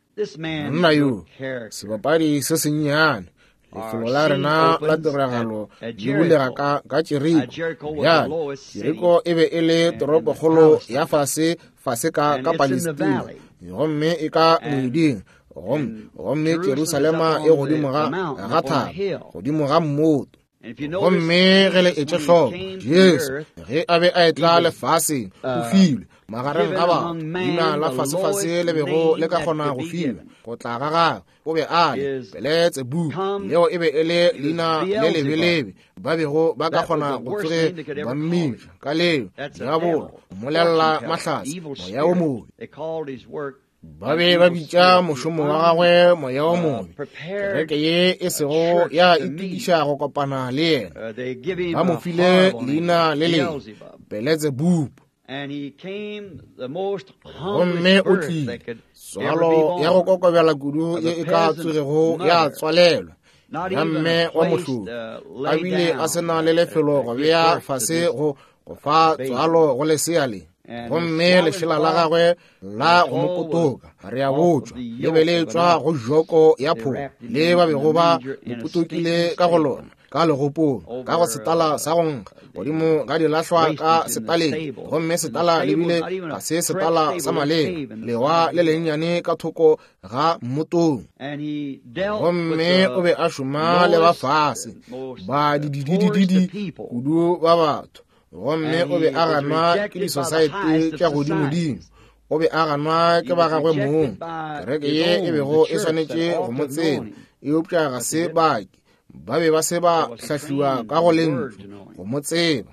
Monna yo, sebapadi se sennyane, lefelo la rena la tiragalo le bulega ka Jeriko. Bjale, Jeriko e be e le toropokgolo ya fase fase ka Palestina, gomme e ka moeding, gomme Jerusalema e godimo ga thaba, godimo ga mmoto. Gomme ge le etše hloko, Jesu ge a be a etla lefaseng, o filwe magareng ga batho leina la fasefase le bego le ka kgona go fiwa. Go tla ga gagwe o be a le Beletsebubu, leo e be e le leina le lebelebe ba bego ba ka kgona go tsoge ba mmitša ka leo, diabolo, mmolella mahlatse, moya o mobe. Ba be ba bitša mošomo wa gagwe moya o mobe. Kereke ye e sego ya itokiša go kopana le yena, ba mo file leina le lengwe, Beletsebubu. Gomme o tlile tswalo ya go kokobela kudu ye e ka tsogego ya tswalelwa ya mme wa mohloki, a bile a se na le lefelo go bea fase go fa tswalo go lesea le. Gomme lešela la gagwe la go mo potoka, re a botšwa, le be le tšwa go joko ya pholo le ba bego ba mo potokile ka go lona, ka legopong, ka go setala sa go nkga godimo ga dilahlwa ka setaleng. Gomme setala le bile ga se setala sa maleba, lewa le lennyane ka thoko ga mmotong. Gomme o be a šoma le ba fase, ba dididididi kudu ba batho. Gomme o be a ganwa ke disosaete tša godimodimo, o be a ganwa ke ba gagwe mong, kereke ye e bego e swanetše go mo tseba, eupša ga se bake, ba be ba se ba hlahliwa ka go lentšu go mo tseba.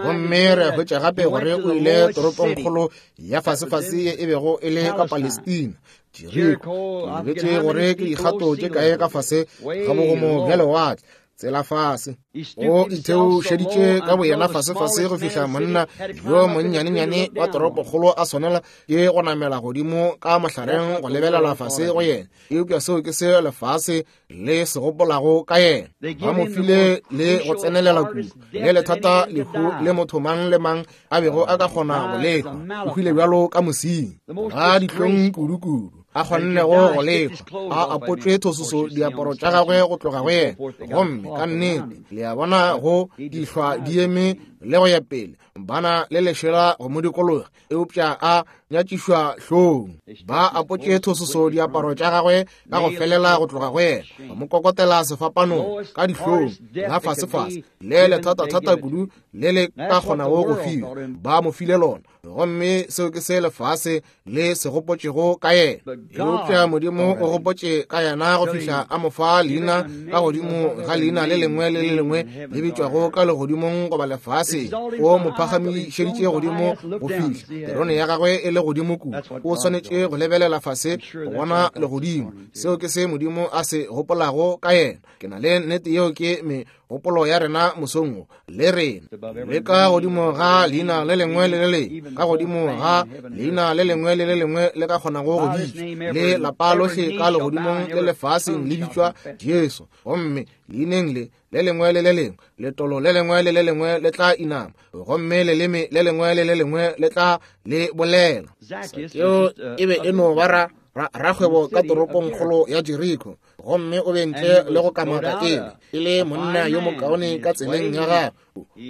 Gomme re hwetša gape gore o ile toropongkgolo ya fasefase ye e bego e le ka Palestina, Jeriko. Ke lebetše gore ke dikgato tše kae ka fase ga bogomo bja lewatle, tsela fase. O itheošeditše ka boyena fasefase go fihla monna yo monnyanenyane wa toropokgolo a swanela ke go namela godimo ka mohlareng go lebelela fase go yena. Eupša seo ke se lefase le se gopolago ka yena. Ba mo file le go tsenelela kudu le lethata lehu le motho mang le mang a bego a ka kgona go lefa. O hwile bjalo ka mosenyi, ga dihlong kudu-kudu a kgonnego go lefa, a apotšwe thososo diaparo tša gagwe go tloga go yena. Gomme ka nnete le a bona go dihlwa di eme le go ya pele, bana le lešela go mo dikologa, eupša a nyatšišwa hlong. Ba apotše thososo diaparo tša gagwe ka go felela go tloga go yena, ba mo kokotela sefapanong ka dihlong la fasefase le lethatathata kudu le le ka kgonago go fiwa, ba mo file lona. Gomme seo ke se lefase le se gopotšego ka yena. Eupša Modimo o gopotše ka yena go fihla a mo fa leina ka godimo ga leina le lengwe le le lengwe le bitšwago ka legodimong goba lefaseng. O mo phagamišeditše godimo go fihla terone ya gagwe e le godimo kudu, o swanetše go lebelela fase go bona legodimo. Seo ke se Modimo a se gopolago ka yena. Ke na le nnete yeo ke megopolo ya rena mosong wo le rena, le ka godimo ga leina le lengwe le le lengwe, ka godimo ga leina le lengwe le le lengwe le ka kgonago go bitšwa, le lapa lohle ka legodimong le lefaseng le bitšwa Jesu. Gomme leineng le le lengwe le le lengwe, letolo le lengwe le le lengwe le tla inama, gomme leleme le lengwe le le lengwe le tla le bolela. Sakeo e be e no ba rakgwebo ka toropongkgolo ya Jeriko, gomme o be ntle le go kamaka ebe e le monna yo mokaone ka tseleng ya gagwe.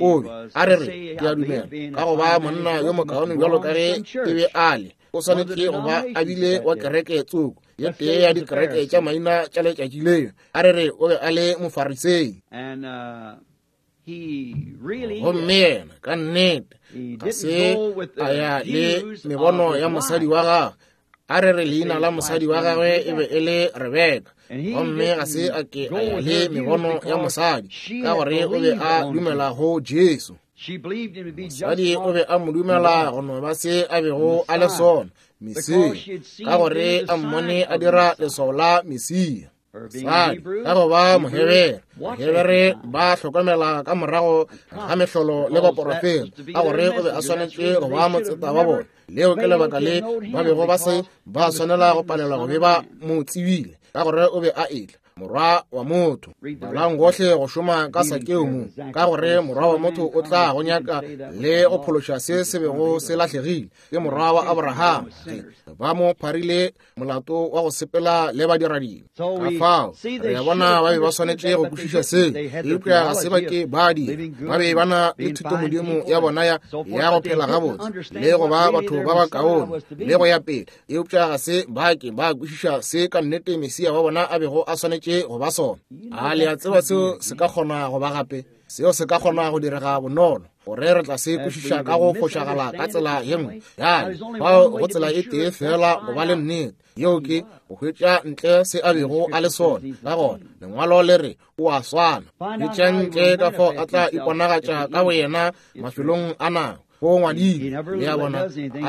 O be a re re ke a dumela ka go ba monna yo mokaone bjalo ka ge e be a le, o swanetše go ba a bile wa kereke tsoko ye tee ya dikereke tša maina tša letšatši leo. A re re o be a le Mofarisei. Gomme yena ka nnete ga se a ya le mebono ya mosadi wa gagwe. A re re leina la mosadi wa gagwe e be e le Rebeka, gomme ga se a ke a ya le mebono ya mosadi, ka gore o be a dumela go Jesu. Mosadi o be a mo dumela go no ba se a bego a le sona, Mesia, ka gore a mmone a dira leswao la Mesia. Mosadi ka go ba Mohebere, Bahebere ba hlokomela ka morago ga mehlolo le baporofeta, ka gore o be a swanetše go ba motseta wa bona. Leo ke lebaka le ba bego ba se ba swanela go palelwa go be ba mo tsebile, ka gore o be a etla. Morwa wa motho. Balang gohle go šoma ka Sakeo mo, ka gore Morwa wa motho o tla go nyaka le go phološa se se bego se lahlegile. Ke morwa wa Abraham. Ba mo pharile molato wa go sepela le badiradibe. Ka fao re a bona ba be ba swanetše go kwešiša seo, eupša ga se ba ke ba dira. Ba be ba na le thutomodimo ya bona ya go phela gabotse le go ba batho ba bakaone le go ya pele, eupša ga se ba ke ba kwešiša se ka nnete Mesia wa bona a bego a swanetše go ba sona. A le a tseba seo se ka kgona go ba gape? Seo se ka kgona go direga bonolo gore re tla se kwešiša ka go fošagala ka tsela ye nngwe. Bjale fao go tsela e tee fela go ba le nnete, yeo ke go hwetša ntle se a bego a le sona. Ka gona lengwalo le re o a swana. Hwetša ntle ka fao a tla iponagatša ka boyena mafelong a nako. Go ngwadilwe, le a bona,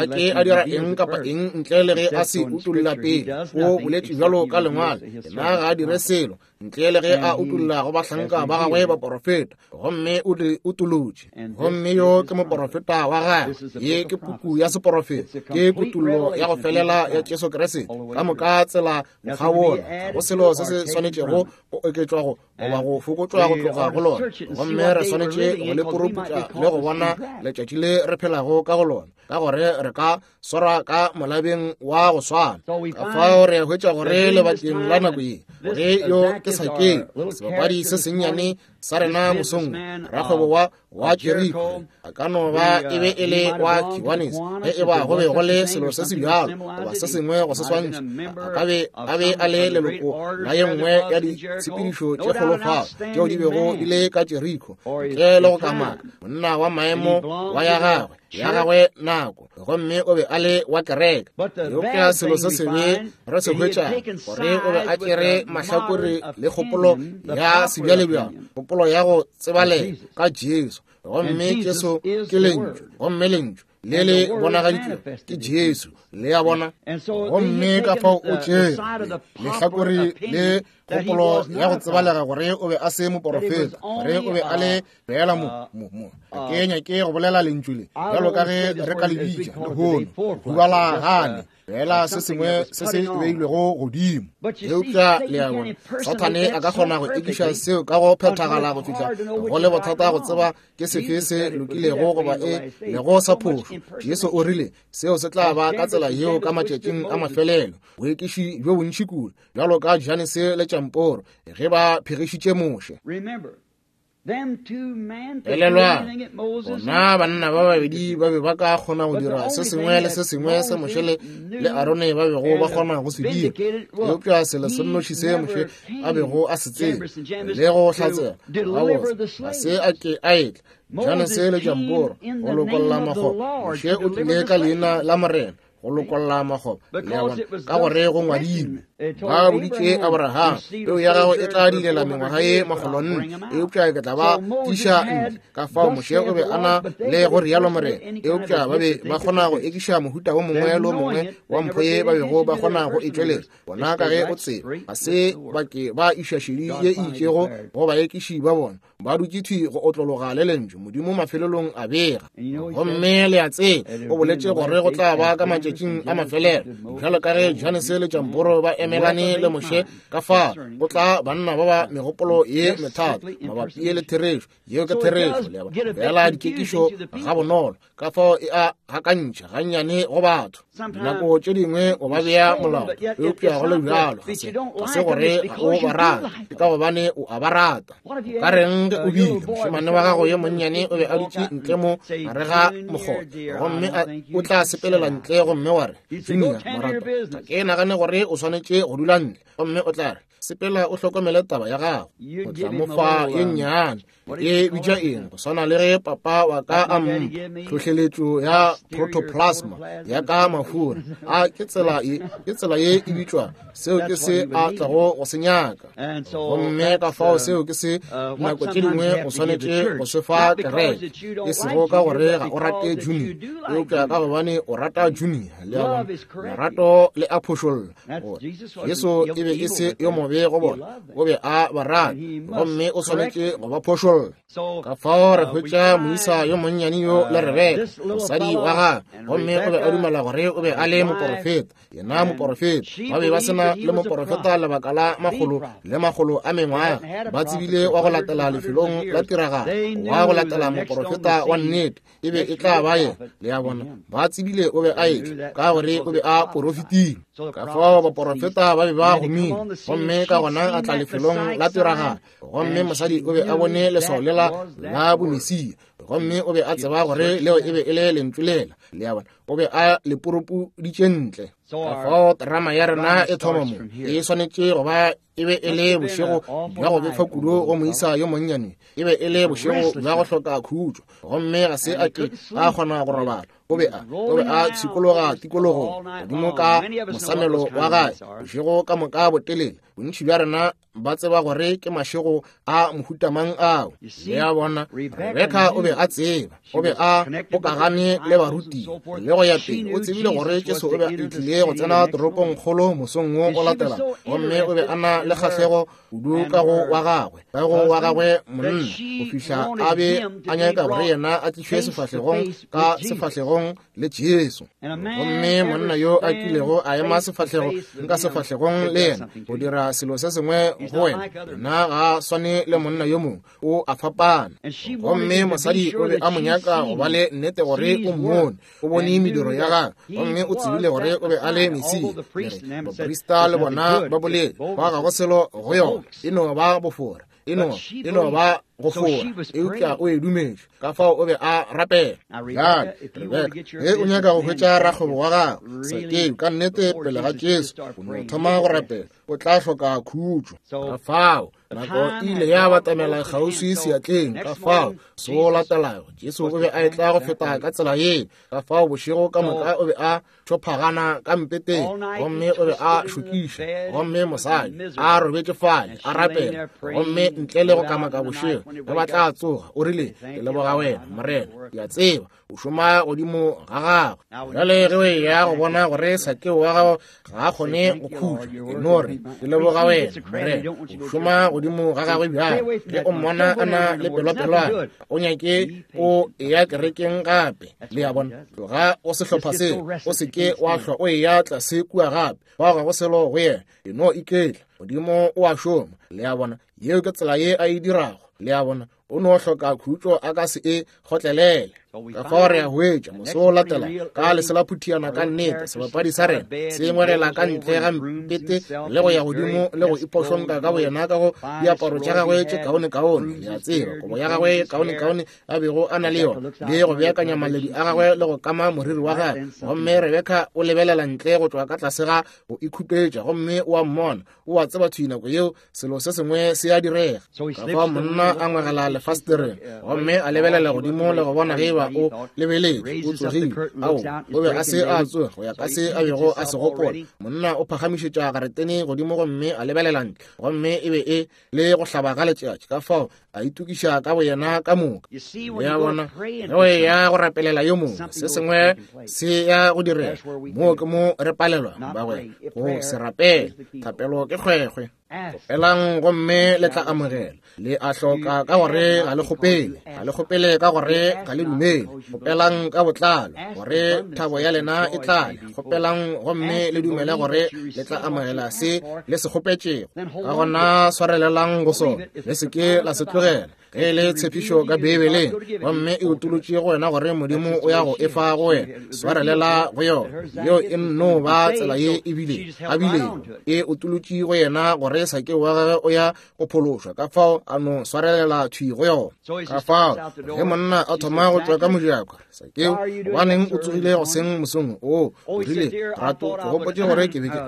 a ke a dira eng kapa eng ntle le ge a se utolla pele. O boletše bjalo ka lengwalo, yena ga a dire selo ntle le ge a utolla go bahlanka ba gagwe baporofeta, gomme o di utolotše. Gomme yo ke moporofeta wa gagwe. Ye ke puku ya seporofeta, ke kutollo ya go felela ya Jesu Kriste ka moka tsela mokgabola. Ga go selo se se swanetšego go oketšwa go goba go fokotšwa go tloga go lona, gomme re swanetše go le poroputša le go bona letšatši le re phelago ka go lona, ka gore re ka swarwa ka molabeng wa go swana. Ka fao re hwetša gore lebakeng la nako ye, gore yo ke Sakeo, sebapadi se sennyane sa rena mosong, rakgwebo wa Jeriko, a ka no ba e be e le wa Kiwanis, ge e ba go be go le selo se se bjalo goba se sengwe go se swantšha, a ka be a be a le leloko la ye nngwe ya ditshepedišo tše kgolo fao tšeo di bego di le ka Jeriko, ntle le go kamaka, monna wa maemo wa ya gagwe ya gagwe nako, gomme o be a le wa kereke. Eupša selo se sebe re se hwetša gore o be a tšere mahlakore le kgopolo ya sebjalebjalo, kgopolo ya go tsebalela ka Jesu, gomme Jesu ke Lentšu, gomme Lentšu le le bonagaditšwe ke Jesu, le a bona. Gomme ka fao o tšere lehlakore le kgopolo ya go tsebalega gore o be a se moporofeta, gore o be a le fela mo ke nyake go bolela lentšu le bjalo ka ge re ka le bitša lehono, hubalagane, fela se sengwe se se beilwego godimo. Eupša le a bona, Sathane a ka kgona go ekiša seo ka go phethagala go fihla go le bothata go tseba ke sefe se lokilego goba e lego sa phošo. Jesu o rile seo se tla ba ka tsela yeo ka matšatšing a mafelelo, boekiši bjo bontši kudu bjalo ka Janese le Tšamporo ge ba phegišitše Moshe. Elelwang, bona banna ba babedi ba be ba ka kgona go dira se sengwe le se sengwe se Moshe le Arone ba bego ba kgona go se dira, eupša selo se nnoši se Moshe a bego a se tseba le go hlatsela gabotse ga se a ke a etla Janese le Jamboro go lokolla makgoba. Moshe o tlile ka leina la Morena go lokolla makgoba, le a bona, ka gore go ngwadilwe. Ba boditše Abraham, peu ya gago e tla dilela mengwaga ye 400, eupša ke tla ba tliša ntle. Ka fao Moshe o be a na le go rialo Morena, eupša ba be ba kgona go ekiša mohuta wo mongwe le wo mongwe wa mpho ye ba bego ba kgona go e tšweletša. Bona, ka ge o tseba, ga se ba ke ba iša šedi ye e itšego go baekiši ba bona, ba dutše thwi go otlologa le lentšu. Modimo mafelelong a bega, gomme le a tseba o boletše gore go tla ba ka matšatšing a mafelelo, bjalo ka ge Janese le Jamboro ba emelane le Moshe, ka fa go tla banna ba ba megopolo ye methata mabapi le therešo. Yeo ke therešo, le a bona, fela dikekišo ga bonolo, ka fao e a gakantšha gannyane go batho. Dinako tše dingwe o ba bea molao, eupša go le bjalo ga se gore ga o ba rata, ke ka gobane o a ba rata. O ka reng ge o bile mošemane wa gago yo monnyane o be a dutše ntle mo gare ga mokgotha, gomme o tla sepelela ntle gomme wa re, Junior, moratwa, ga ke nagane gore o swanetše go dula ntle, gomme o tla re, sepela o hlokomele taba ya gago. O tla mo fa ye nnyane e bitša eng, go swana le ge papa wa ka a mpha tlhohleletšo ya protoplasma ya ka mafura a, ke tsela ye, ke tsela ye e bitšwa. Seo ke se a tlago go se nyaka. Gomme ka fao seo ke se nako tše dingwe o swanetše go se fa kereke, e sego ka gore ga o rate Junior, eupša ka gobane o rata Junior. Mesia. Le a bona? Lerato le a phošolla. Jesu e be e se yo mobe go bona, o be a ba rata, gomme o swanetše go ba phošolla. Ka fao re hwetša moisa yo monnyane yo le Rebeka, mosadi wa gagwe, gomme o be a dumela gore o be a le moporofeta, yena moporofeta. Ba be ba se na le moporofeta lebaka la makgolo le makgolo a mengwaga. Ba tsebile wa go latela lefelong la tiragalo, wa go latela moporofeta wa nnete, e be e tla ba yena. Le a bona, ba tsebile o be a etla ka gore o be a porofetile. Ka fao baporofeta ba be ba gomile, gomme ka gona a tla lefelong la tiragalo, gomme mosadi o be a bone leswao lela la bomesia, gomme o be a tseba gore leo e be e le lentšu lela. Le a bona, o be a le poropoditše ntle. Ka fao terama ya rena e thoma mo, e swanetše go ba e be e le bošego bja go befa kudu go moisa yo monnyane, e be e le bošego bja go hloka khutšo, gomme ga se a ke a kgona go robala. O be a tshikologa tikologong godimo ka mosamelo wa gae bošego ka moka botelele. Bontši bja rena ba tseba gore ke mašego a mohutamang ao. Le a bona, Rebeka o be a tseba, o be a bokagane le baruti le go ya pele. O tsebile gore Jesu o be a tlile go tsena toropong kgolo mosong wo o latela, gomme o be a na le kgahlego kudu ka go wa gagwe, ka go wa gagwe monna, go fihla a be a nyaka gore yena a tlišwe sefahlegong ka sefahlegong le Jesu. Gomme monna yo a kilego a ema sefahlego nka sefahlegong le yena go dira selo se sengwe go wena, yena ga a swane le monna yo mongwe, o a fapana. Gomme mosadi o be a mo nyaka go ba le nnete gore o mmone, o bone mediro ya gagwe, gomme o tsebile gore o be a le Mesia. Baprista le bona ba bolele, ba ga go selo go yona, e no ba bofora, e no ba go fora, eupša o e dumetše. Ka fao o be a rapela. Bjale, Rebeka, ge o nyaka go hwetša rakgwebo wa gago Sakeo ka nnete pele ga Jesu, o no thoma go rapela, o tla hloka khutšo. Ka fao nako e ile ya batamela kgauswi seatleng. Ka fao se o latelago, Jesu o be a etla go feta ka tsela ye. Ka fao bošego ka moka o be a tšhophagana ka mpeteng, gomme o be a šokiša, gomme mosadi a robetše fale a rapela, gomme ntle le go kamaka bošego ge ba tla tsoga, o rile, ke leboga wena Morena, ke a tseba o šoma godimo ga gagwe. Bjale ge o eya go bona gore Sakeo wa gago ga a kgone go khutša, ke no re, ke leboga wena Morena, o šoma godimo ga gagwe. Bjale ge o mmona a na le pelopelwana, o nyake o eya kerekeng gape. Le a bona, tloga o sehlopha se, o se ke wa hlwa o eya tlase kua gape. Ba ga go selo go yena, e no iketla. Modimo o a šoma. Le a bona, yeo ke tsela ye a e dirago. Le a bona, o no hloka khutšo, a ka se e kgotlelele. Ka fao re a hwetša moso o latela ka leselaphuthiana ka nnete sebapadi sa rena se ngwegela ka ntle ga mpete le go ya godimo le go iphošonka ka boyena ka go diaparo tša gagwe tše kaonekaone, le a tseba, kobo ya gagwe kaonekaone a bego a na le yona, le go beakanya maledu a gagwe le go kama moriri wa gagwe. Gomme Rebeka o lebelela ntle go tšwa ka tlase ga go ikhupetša, gomme o a mmona, o a tseba thwi nako yeo selo se sengwe se a direga. Ka fao monna a ngwegela lefastereng gomme a lebelela godimo le go bona ge eba o lebeletše, o tsogile. Ao, o be a se a tsoga go ya ka se a bego a se gopola. Monna o phagamišetša garetene godimo gomme a lebelela ntle, gomme e be e le go hlaba ga letšatši. Ka fao a itokiša ka boyena ka moka. Le a bona, ge o eya go rapelela yo mongwe, se sengwe se ya go direga. Moo ke mo re palelwa, bagwera, go se rapele. Thapelo ke kgwekgwe. Kgopelang gomme le tla amogela. Le a hloka ka gore ga le kgopele, ga le kgopele ka gore ga le dumele. Kgopelang ka botlalo gore thabo ya lena e tlale. Kgopelang gomme le dumele gore le tla amogela se le se kgopetšego. Ka gona swarelelang go sona, le se ke la se tlogela. Ge e le tshepišo ka Beibeleng gomme e utolotše go wena gore Modimo o ya go e fa go wena, swarelela go yona. Yeo e nno ba tsela ye ebile a bilego e utolotše go yena gore Sakeo wa gagwe o ya go phološwa. Ka fao a no swarelela thwi go yona. Ka fao ge monna a thoma go tšwa ka mojako, Sakeo, gobaneng o tsogile goseng mosong o? O rile, Rato, ke gopotše gore ke be ke,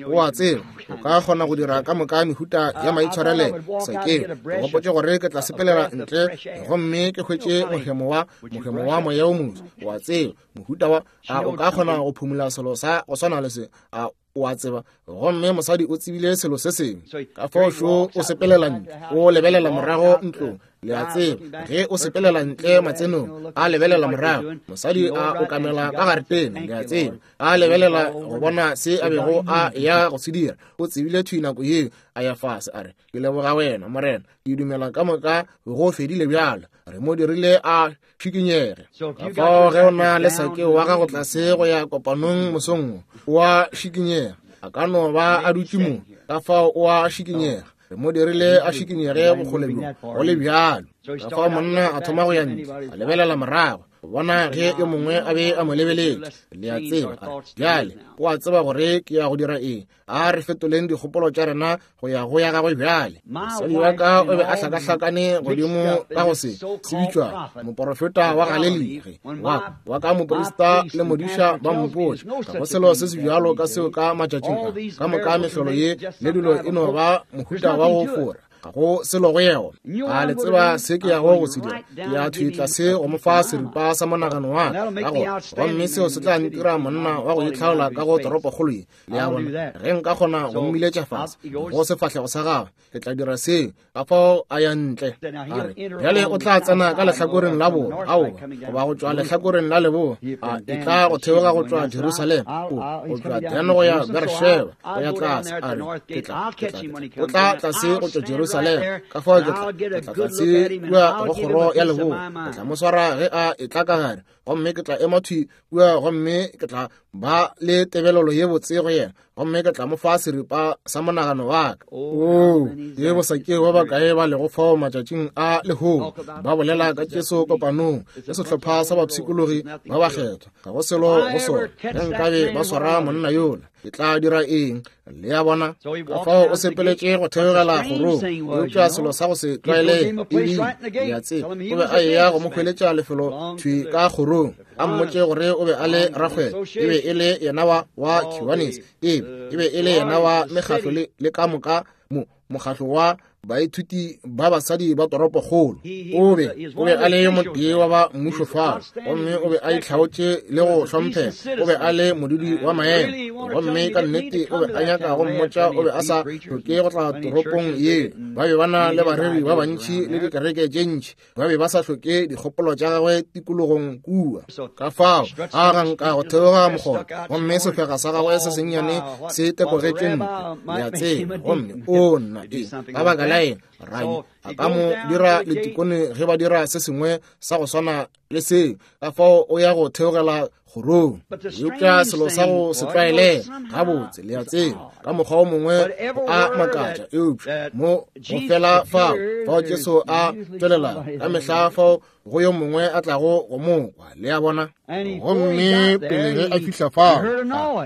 o a tseba, o ka kgona go dira ka moka mehuta ya maitshwarelelo. Sakeo, ke gopotše gore ke tla sepelela ntle gomme ke hwetše mohemo wa moya o moso. O a tseba, mohuta wa, a o ka kgona go phumula selo sa go swana le se? A o a tseba? Gomme mosadi o tsebile selo se sengwe. Ka fao šo o sepelela ntle, o lebelela morago ntlong. Le a tseba, ge o sepelela ntle matsenong, a lebelela morago, mosadi a okamela ka garetene, le a tseba, a lebelela go bona se a bego a ya go se dira. O tsebile thwi nako yeo, a ya fase, a re, Ke leboga wena, Morena, ke dumela ka moka go fedile bjalo. Re mo dirile a šikinyege. Ka fao ge o na le Sakeo wa gago tlase go ya kopanong mosong wo, o a šikinyega. A ka no ba a dutše mo, ka fao o a šikinyega. Re mo dirile a šikinyege bokgole bjo, go le bjalo. Ka fao monna a thoma go ya ntle, a lebelela morago, go bona ge yo mongwe a be a mo lebeletše. Le a tseba, a re, Bjale, o a tseba gore ke ya go dira eng. A re fetoleng dikgopolo tša rena go ya go ya gagwe bjale. Mosadi wa ka o be a hlakahlakane godimo ka go se se bitšwa moporofeta wa Galilege. Wa, wa ka moprista le modiša ba mpotša ga go selo se se bjalo ka seo ka matšatšing a. Ka moka mehlolo ye le dilo e no ba mohuta wa go fora. Ga go selo go yona. A le tseba se ke yago go se dira? Ke ya thwi tlase go mo fa seripa sa monagano wa ka, ka gore, gomme seo se tla ntira monna wa go itlhaola ka go toropokgolo ye. Le a bona, ge nka kgona go mmiletša fase go sefahlego sa gagwe, ke tla dira seo. Ka fao a ya ntle, a re, Bjale o tla tsena ka lehlakoreng la borwa, aowa, goba go tšwa lehlakoreng la leboa, a etla go theoga go tšwa Jerusalema, o, go tšwa Dan go ya Beersheba, go ya tlase. A re, Ke tla, ke tla, ke tla. O tla tlase go tšwa Jerusalema, ka fao ke tla, ke tla tlase kua go kgoro ya leboa, ke tla mo swara ge a etla ka gare, gomme ke tla ema thwi kua, gomme ke tla ba le tebelelo ye botse go yena, gomme ke tla mo fa seripa sa monagano wa ka. Oo, ye bosakeo ba bakae ba lego fao matšatšing a lehono, ba bolela ka Jesu kopanong le sehlopha sa bapshikologi ba bakgethwa. Ga go selo go sona. Ge nkabe ba swara monna yola, ke tla dira eng? Le a bona? Ka fao o sepeletše go theogela kgorong. Eupša selo sa go se tlwaelege ebile, le a tseba, o be a eya go mo hweletša lefelo thwi ka kgorong, a mmotše gore o be a le rakgwebo, e be e le yena wa, wa Kiwanis, e, e be e le yena wa mekgatlo le, le ka moka mo, mokgatlo wa baithuti ba basadi ba toropokgolo. O be, o be a le motee wa ba mmušo fao, gomme o be a itlhaotše le go hlomphega. O be a le modudi wa maemo, gomme ka nnete o be a nyaka go mmotša o be a sa hloke go tla toropong yeo. Ba be ba na le bareri ba bantši le dikereke tše ntši, ba be ba sa hloke dikgopolo tša gagwe tikologong kua. Ka fao a ganka go theoga mokgoro, gomme sefega sa gagwe se sennyane se tekogetše ntle, le a tseba, gomme o nna e ka baka la eng rabi a ka mo dira letikone ge ba dira se sengwe sa go swana le seo. Ka fao o ya go theogela kgorong. Eupša selo sa go se tlwaelege gabotse, le a tseba, ka mokgwa o mongwe go a makatša, eupša mo go fela fao, fao Jesu a tšwelelago ka mehla, fao go yo mongwe a tlago go mo kwa, le a bona. Gomme pele ge a fihla fao,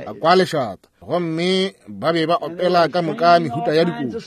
a kwa lešata, gomme ba be ba opela ka moka mehuta ya dikobo,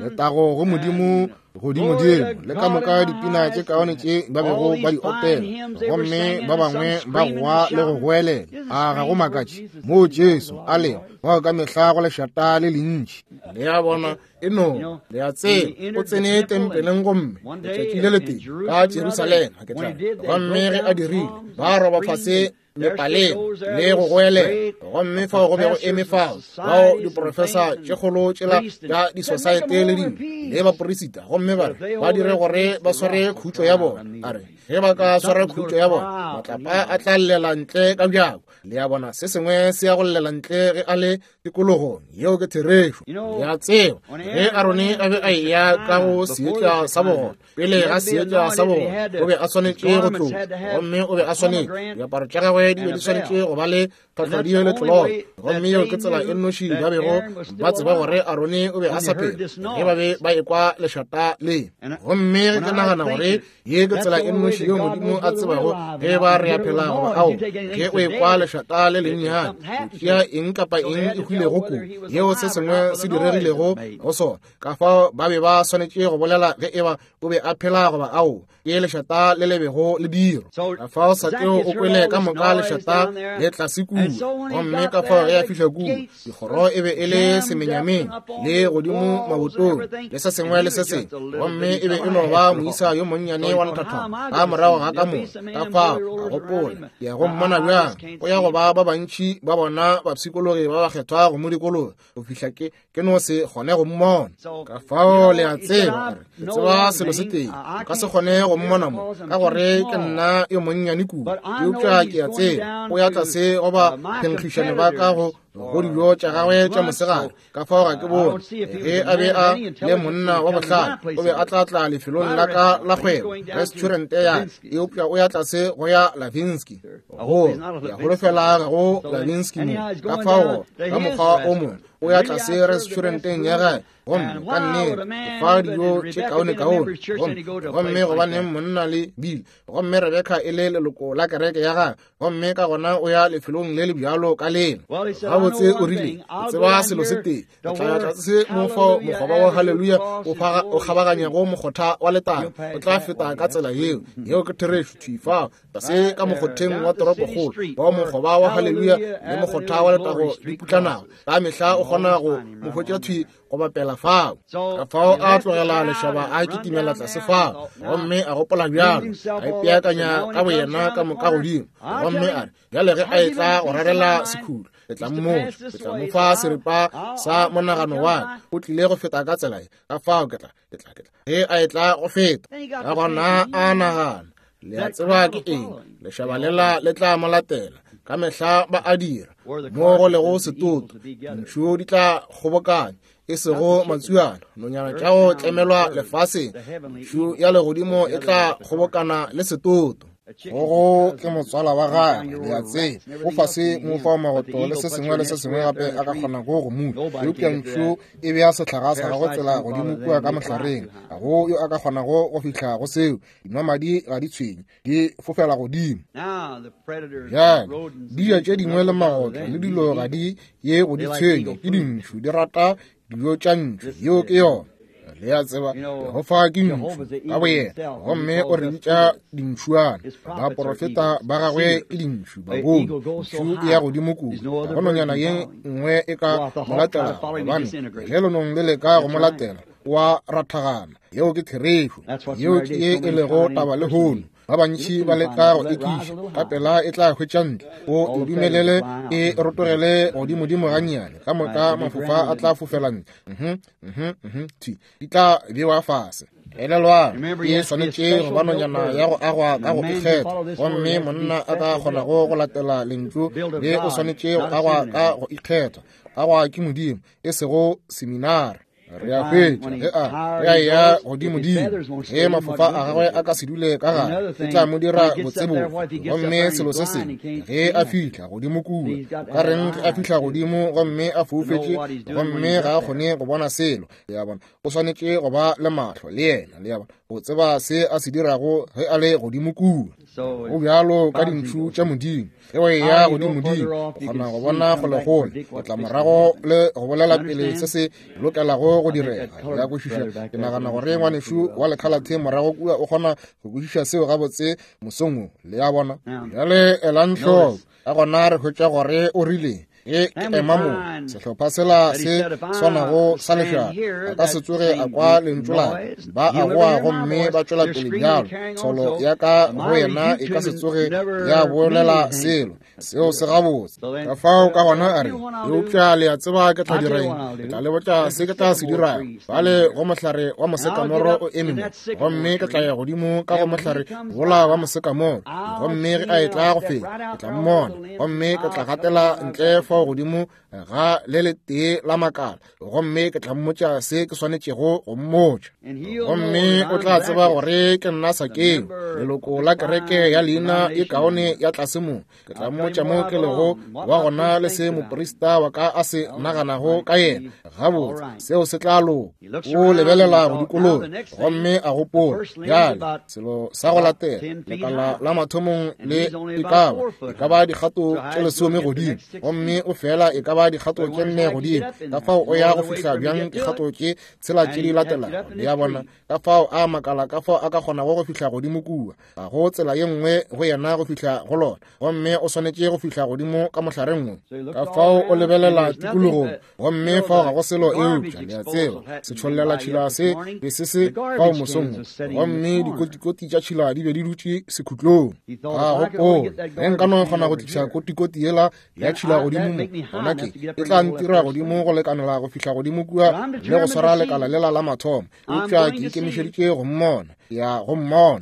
letago go Modimo godimodimo, le ka moka dipina tše kaone tše ba bego ba di opela, gomme ba bangwe ba goa le go goelela. A ga go makatše moo Jesu a lego fao ka mehla go lešata le lentši. Le a bona, e no, le a tseba, o tsene tempeleng gomme letšatši le letee ka Jerusalema, ke tla re, gomme ge a dirile, ba roba fase mepaleng le go goelela, gomme fao go be go eme fao bao diprofesa tše kgolo tšela tša disosaete le dingwe le baporisita, gomme ba re ba dire gore ba sware khutšo ya bona. A re ge ba ka swara khutšo ya bona, matlapa a tla llela ntle ka bjako. Le a bona, se sengwe se ya go llela ntle ge a le tikologong. Yeo ke therešo. Le a tseba, ge Arone a be a eya ka go seetša sa bogona, pele ga seetša sa bogona, o be a swanetše go tloga, gomme o be a swanetše, diaparo tša gagwe di be di swanetše go ba le tlhatlhwadio le tlololo. Gomme yeo ke tsela e nnoši ba bego ba tseba gore Arone o be a sa phela, ge ba be ba ekwa lešata le. Gomme ge ke nagana gore ye ke tsela e nnoši yeo Modimo a tsebago ge ba re a phela goba ao, ge o ekwa lešata le lennyane, o tšea eng kapa eng e hwilego ko yeo se sengwe se diregilego go sona. Ka fao ba be ba swanetše go bolela ge eba o be a phela goba ao, ke lešata le le bego le dirwa. Ka fao Sakeo o kwele ka moka lešata le tlase kua, gomme ka fao ge a fihla kua, dikgoro e be e le semenyameng le godimo mabotong le se sengwe le se sengwe, gomme e be e no ba moisa yo monnyane wa nthathwana ka morago ga ka moka. Ka fao a gopola, ke ya go mmona bjang? Go ya go ba ba bantši ba bona bapshikologi ba bakgethwa go mo dikologa go fihla ke, ke no se kgone go mmona. mmona. Ka fao le a tseba, a re, Ke tseba selo se tee, nka se kgone go mmona mo, ka gore ke nna yo monnyane kudu. Eupša ke a tseba o ya tlase go ba phenkgišane ba ka go go dijo tša gagwe tša mosegare. Ka fao ga ke bone ge a be a le monna wa bohlale, o be a tla tla lefelong la ka la kgwebo, restaurant ya, eupša o ya tlase go ya Lavinsky. Go ya holofela ga go Lavinsky mo. Ka fao ka mokgwa o mongwe o ya tlase restauranteng ya gae, gomme ka nnete o fa dijo tše kaonekaone. Gomme gobaneng monna le Bill, gomme Rebecca e le leloko la kereke ya gagwe, gomme ka gona o ya lefelong le le bjalo ka lena. Gabotse, o rile, ke tseba selo se tee, ke tla ya tlase mo fao mokgoba wa Haleluya o kgabaganyago mokgotha wa letaba, o tla feta ka tsela yeo. Yeo ke therešo, thwi fao tlase ka mokgotheng wa toropokgolo, bao mokgoba wa Haleluya le mokgotha wa letago di putlanago. Ka mehla o kgona go mo hwetša thwi go bapela fao. Ka fao a tlogela lešaba a kitimela tlase fao, gomme a gopola bjalo, a ipeakanya ka boyena ka moka godimo, gomme a re, bjale ge a etla go rarela sekhutlo, ke tla mmotša, ke tla mo fa seripa sa monagano wa ka. O tlile go feta ka tsela ye, ka fao ke tla, ke tla, ke tla. Ge a etla go feta, ka gona a nagana, le a tseba ke eng, lešaba lela le tla mo latela. Ka mehla ba a dira. Mo go lego setoto, dintšhu di tla kgobokanya, e sego matsuana, nonyana tša go tlemelwa lefaseng. Ntšhu ya legodimo e tla kgobokana le setoto. Gogo ke motswala wa gagwe, le a tseba, o fase mo fao magoto le se sengwe le se sengwe gape a ka kgonago go mula. Eupša ntšhu e bea sehlaga sa gagwe tsela godimo kua ka mohlareng, ga go yo a ka kgonago go fihla go seo. Dinwamadi ga di tshwenye, di fofela godimo. Bjale dija tše dingwe le magotlo le dilo ga di ye go di tshwenya, ke dintšhu, di rata dijo tša ntšhu. Yeo ke yona. Le a tseba, Jehofa ke ntšhu ka boyena, gomme o re bitša dintšhuana. Baporofeta ba gagwe ke dintšhu, baboni. Ntšhu e ya godimo kudu, ga go nonyana ye nngwe e ka mo latelago, gobane ge lonong le leka go mo latela, wa rathagana. Yeo ke therešo. Yeo ke ye e lego taba lehono. Ba bantši ba leka go ekiša, ka pela e tla hwetša ntle. O e dumelele e rotogele godimodimo gannyane, ka moka mafofa a tla fofela ntle. Thwi, di tla bewa fase. Elelwang, e swanetše go ba nonyana ya go agwa ka go ikgetha, gomme monna a ka kgonago go latela lentšu le o swanetše go agwa ka go ikgetha, agwa ke Modimo, e sego seminare. Re a hwetša ge a ge a eya godimodimo, ge mafofa a gagwe a ka se dule ka gare, e tla mo dira botsebofo. Gomme selo se sengwe, ge a fihla godimo kua, ka reng ge a fihla godimo gomme a foufetše gomme ga a kgone go bona selo? Le a bona, o swanetše go ba le mahlo le yena, le a bona, go tseba se a se dirago ge a le godimo kua. Go bjalo ka dintšhu tša Modimo, ge o eya godimodimo, o kgona go bona kgolekgole, o tla morago le go bolela pele se se lokelago go direga. Ya kwešiša, ke nagana gore ngwanešu wa lekhalathe morago kua o kgona go kwešiša seo gabotse mosong wo. Le a bona? Bjale elang hloko. Ka gona re hwetša gore o rile, ge ke ema mo, sehlopha sela se swanago sa lešaba a ka se tsoge a kwa lentšu la ka, ba a goa gomme ba tšwela pele bjalo. Tsholo ya ka go yena e ka se tsoge ya bolela selo. Seo se gabotse. Ka fao ka gona a re, eupša le a tseba ke tla dira eng? Ke tla le botša se ke tla se dirago. Bale go mohlare wa mosekamoro o eme mo, gomme ke tla ya godimo ka go mohlare wola wa mosekamoro, gomme ge a etla go feta, ke tla mmona, gomme ke tla gatela ntle fao godimo ga le letee la makala, gomme ke tla mmotša se ke swanetšego go mmotša, gomme o tla tseba gore ke nna Sakeo, leloko la kereke ya leina e kaone ya tlase mo. Ke tla mmotša mo ke lego wa gona le se moprista wa ka a se naganago ka yena. Gabotse, seo se tla loka. O lebelela go dikologa gomme a gopola, bjale selo sa go latela, lekala la mathomong le e ka ba dikgato tše 10 godimo, gomme o fela e ka ba dikgato tše 4 godimo. Ka fao o ya go fihla bjang dikgato tše tshela tše di latelago? Le a bona? Ka fao a makala ka fao a ka kgonago go fihla godimo kua. Ga go tsela ye nngwe go yena go fihla go lona, gomme o swanetše go fihla godimo ka mohlareng wo. Ka fao o lebelela tikologong, gomme fao ga go selo eupša, le a tseba, setšhollela tšhila se be se se fao mosong wo, gomme dikotikoti tša tšhila di be di dutše sekhutlong. A gopola, ge nka no kgona go tliša kotikoti yela ya tšhila godimo godimo mo, gona ke e tla ntira godimo go lekanela go fihla godimo kua le go swara lekala lela la mathomo. Eupša ke ikemišeditše go mmona, ya go mmona.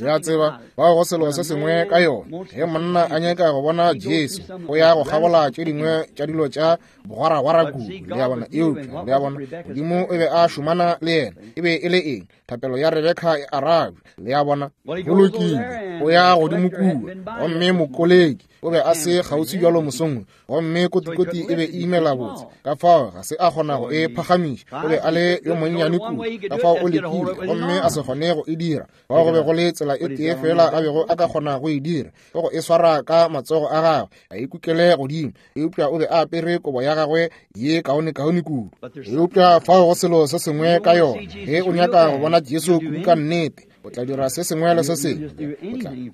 Le a tseba, bao go selo se sengwe ka yona. Ge monna a nyaka go bona Jesu, o ya go kgabola tše dingwe tša dilo tša bogwaragwara kudu. Le a bona? Eupša, le a bona, Modimo o be a šomana le yena. E be e le eng? Thapelo ya Rebeka e arabja. Le a bona? Go lokile, o ya godimo kua, gomme mokoleki o be a se kgauswi bjalo mosong, gomme kotikoti e be e imela botse, ka fao ga se a kgona go e phagamiša. O be a le yo monnyane kudu, ka fao o lekile gomme a se kgone go e dira. Fao go be go le tsela e tee fela a bego a ka kgona go e dira, ke go e swara ka matsogo a gagwe, a ikukele godimo. Eupša o be a apere kobo ya gagwe ye kaonekaone kudu. Eupša fao go selo se sengwe ka yona, ge o nyaka go bona Jesu kudu ka nnete, o tla dira se sengwe le se sengwe.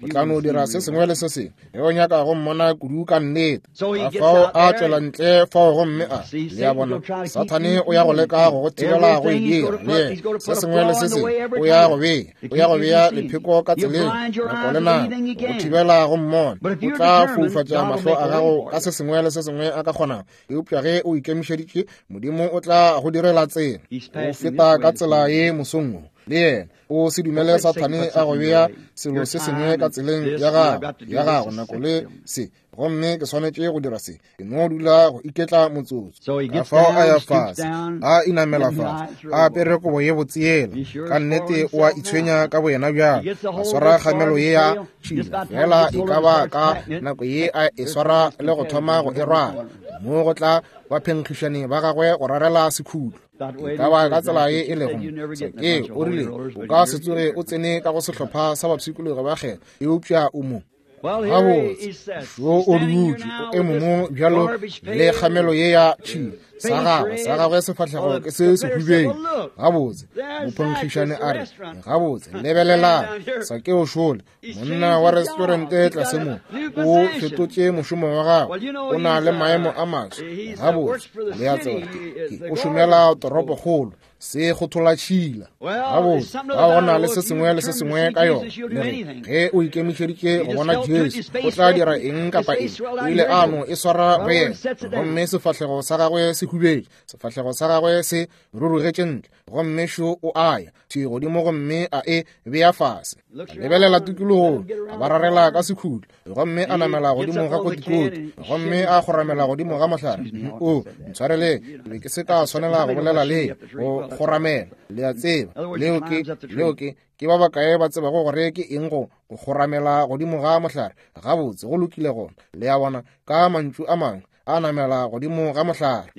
O tla no dira se sengwe le se sengwe ge o nyaka go mmona kudu ka nnete. Ka fao a tšwela ntle fao gomme a, le a bona, Sathane o ya go leka go go thibela go e dira, le yena. Se sengwe le se sengwe o ya go bea, o ya go bea lepheko ka tseleng nako le nako go thibela go mmona. O tla foufatša mahlo a gago ka se sengwe le se sengwe a ka kgonago. Eupša ge o ikemišeditše, Modimo o tla go direla tsela. O feta ka tsela ye mosong wo, le yena. O se dumele Sathane a go bea selo se sengwe ka tseleng ya gago, ya gago nako le se, gomme ke swanetše go dira se. Ke no dula go iketla motsotso. Ka fao a ya fase, a inamela fase, a apere kobo ye botseyela. Ka nnete o a itshwenya ka boyena bjalo. A swara kgamelo ye ya tšhila, fela e ka ba ka nako ye a e swara le go thoma go e rwala, mo go tla baphenkgišani ba gagwe go rarela sekhutlo. E ka ba ka tsela ye e lego Sakeo o rile, o ka se tsoge o tsene ka go sehlopha sa bapshikologi ba kgetho, eupša o mo. Gabotse, šo o dutše o eme mo bjalo le kgamelo ye ya tšhila, sa gagwe, sa gagwe sefahlego ke se se hubedu. Gabotse, mophenkgišane a re, gabotse, lebelelang, Sakeo šole, monna wa restaurante tlase mo, o fetotše mošomo wa gagwe, o na le maemo a maswa. Gabotse, le a tseba, ke o šomela toropokgolo, se kgothola tšhila. Gabotse, ga go na le se sengwe le se sengwe ka yona. Le re, ge o ikemišeditše go bona Jesu, o tla dira eng kapa eng. O ile a no e swara go yena, gomme sefahlego sa gagwe se hubetše, sefahlego sa gagwe se rurugetše ntle, gomme šo o a ya thwi godimo gomme a e bea fase. A lebelela tikologong, a ba rarela ka sekhutlo, gomme a namela godimo ga kotikoti, gomme a kgoramela godimo ga mohlare. O ntshwarele, ke be ke se ka swanela go bolela le go kgoramela. Le a tseba, leo ke, leo ke, ke ba bakae ba tsebago gore ke eng go go kgoramela godimo ga mohlare? Gabotse, go lokile gona. Le a bona, ka mantšu a mangwe, a namela godimo ga mohlare,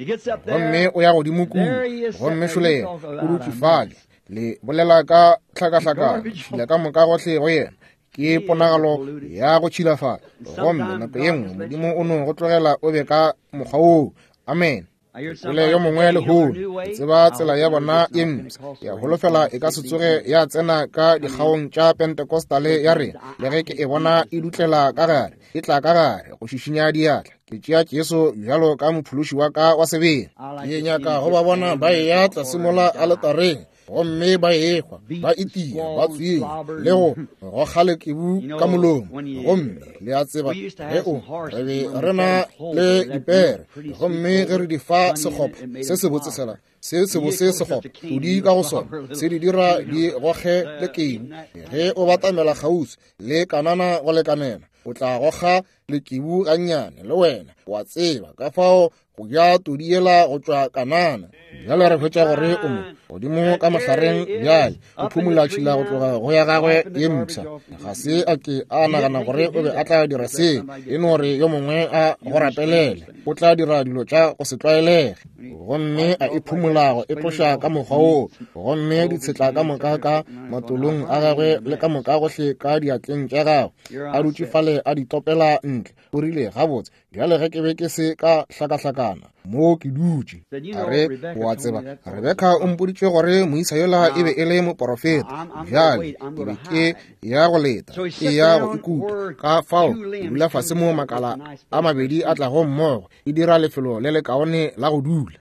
gomme o ya godimo kua, gomme šole o dutše fale. Le bolela ka tlhakahlakano, tšhila ka moka gohle go yena, ke ponagalo ya go tšhilafala. Gomme nako ye nngwe Modimo o no go tlogela o be ka mokgwa woo. Amen. Kwele yo mongwe lehono, ke tseba tsela ya bona ye mpsha. Ke a holofela e ka se tsoge ya tsena ka dikgaong tša Pentecostale ya rena, le ge ke e bona e dutlela ka gare, e tla ka gare go šišinya diatla. Ke tšea Jesu bjalo ka mophološi wa ka wa sebele. Ke nyaka go ba bona ba eya tlase mola aletareng, gomme ba ehwa, ba itia, ba tswinya, le go goga lekebu ka molomo. Gomme le a tseba, ge o re be re na le dipere, gomme ge re di fa sekgopha se sebotse sela, se sebose sekgopha, todi ka go sona, se di dira di goge lekebu. Ge o batamela kgauswi le kanana go lekanela, o tla goga lekebu gannyane le wena, wa tseba. Ka fao go ja todi yela go tšwa Kanana. Bjale re hwetša gore o mo godimo ka mohlareng bjale, o phumula tšhila go tloga go ya gagwe ye mpsha. Ga se a ke a nagana gore o be a tla dira se, e no re yo mongwe a go rapelele, o tla dira dilo tša go se tlwaelege. Gomme a e phumula go e tloša ka mokgwa woo, gomme ditshetla ka moka ka matolong a gagwe le ka moka gohle ka diatleng tša gagwe, a dutše fale a di topela ntle. O rile, gabotse, bjale ge ke be ke se ka hlakahlakana mo ke dutše. A re, o a tseba, Rebeka o mpoditše gore moisa yola e be e le moporofeta. Bjale ke be ke ya go leta, ke ya go ikuta. Ka fao ke dula fase mo makala a mabedi a tlago mmogo, e dira lefelo le lekaone la go dula.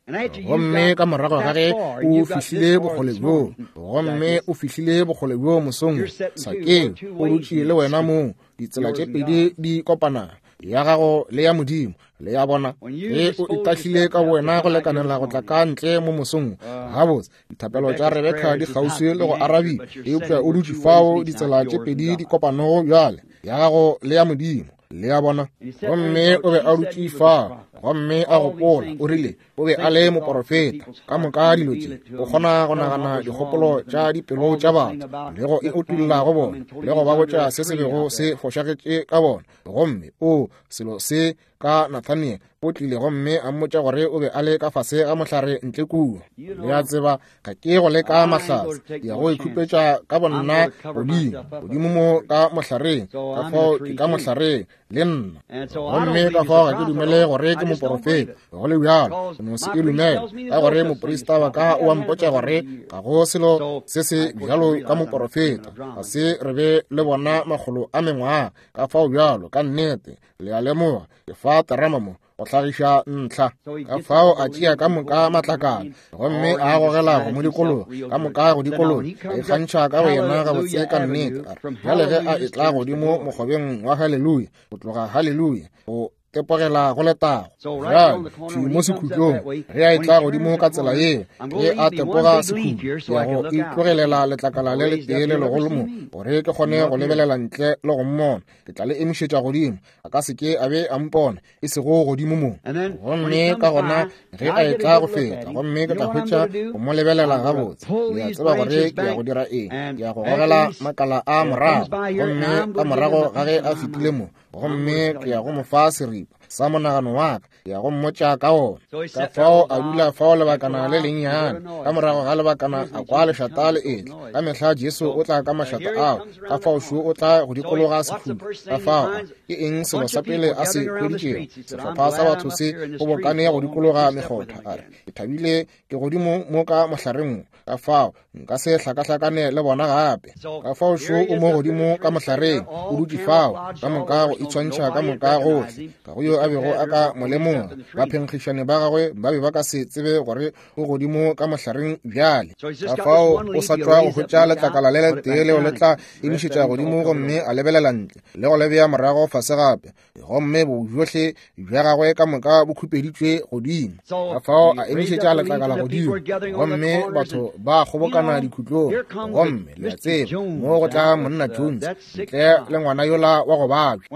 Gomme ka morago ga ge o fihlile bokgole bjo, gomme o fihlile bokgole bjo mosong, Sakeo o dutše le wena moo ditsela tše pedi di kopana. Ya gago le ya Modimo. Le ya bona, ge o itahlile ka wena go lekanela go tla ka ntle mo mosong, gabotse dithapelo tša Rebeka di kgauswi le go arabiwa, eupša o dutše fao ditsela tše pedi di kopanago bjale, ya gago le ya Modimo. Le ya bona? Gomme o be a dutše fao, gomme a gopola, o rile o be a le moporofeta. Ka moka dilo tše, o kgona go nagana dikgopolo tša dipelo tša batho, le go e utolla go bona, le go ba botša se se bego se fošagetše ka bona. Gomme o selo se ka Nathaniel o tlile gomme a mmotša gore o be a le ka fase ga mohlare ntle kua. Le a tseba, ga ke go leka mahlatse, ke ya go ikhupetša ka bonna godimo godimo mo ka mohlareng, ka fao ke ka mohlareng le nna. Gomme ka fao ga ke dumele gore ke moporofeta, go le bjalo ke no se e dumele, ka gore moprista wa ka o a mpotša gore ga go selo se se bjalo ka moporofeta, ga se re be le bona makgolo a mengwaga. Ka fao bjalo ka nnete le a lemoga, ke fa terama mo go hlagiša ntlha. Ka fao a tšea ka moka matlakala gomme a gogela go mo dikologa, ka moka go dikologa, a ikgantšha ka go yena gabotse ka nnete. A re bjale ge a etla godimo mokgobeng wa Haleluya, go tloga Haleluya go tepogela go letago. Bjale thwi mo sekhutlong, ge a etla godimo ka tsela yeo, ge a tepoga sekhutlo, ke ya go itlogelela letlakala le letee le legolo mo, gore ke kgone go lebelela ntle le go mmona. Ke tla le emišetša godimo, a ka se ke a be a mpona, e sego godimo mo. Gomme ka gona ge a etla go feta, gomme ke tla hwetša go mo lebelela gabotse. Le a tseba gore ke ya go dira eng? Ke ya go gogela makala a morago, gomme ka morago ga ge a fetile mo, gomme ke ya go mo fa seripa sa monagano wa ka, ke ya go mmotša ka ona. Ka fao a dula fao lebakana le lennyane. Ka morago ga lebakana a kwa lešata le etla. Ka mehla Jesu o tla ka mašata ao, ka fao šo o tla go dikologa sekhutlo. Ka fao ke eng selo sa pele a se hweditšego? Sehlopha sa batho se kgobokane go dikologa mekgotha. A re, ke thabile ke godimo mo ka mohlareng wo, ka fao nka se hlakahlakane le bona gape. Ka fao šo o mo godimo ka mohlareng, o dutše fao, ka moka go itshwantšha ka moka gohle, ga go yo a bego a ka mo lemoga. Baphenkgišane ba gagwe ba be ba ka se tsebe gore o godimo ka mohlareng bjale. Ka fao o sa tšwa go hwetša letlakala le letee leo le tla emišetša godimo, gomme a lebelela ntle le go le bea morago fase gape, gomme bojohle bja gagwe ka moka bo khupeditšwe godimo. Ka fao a emišetša letlakala godimo, gomme batho ba kgobokana dikhutlong. Gomme le a tseba, mo go tla monna Jones ntle le ngwana yola wa go babja.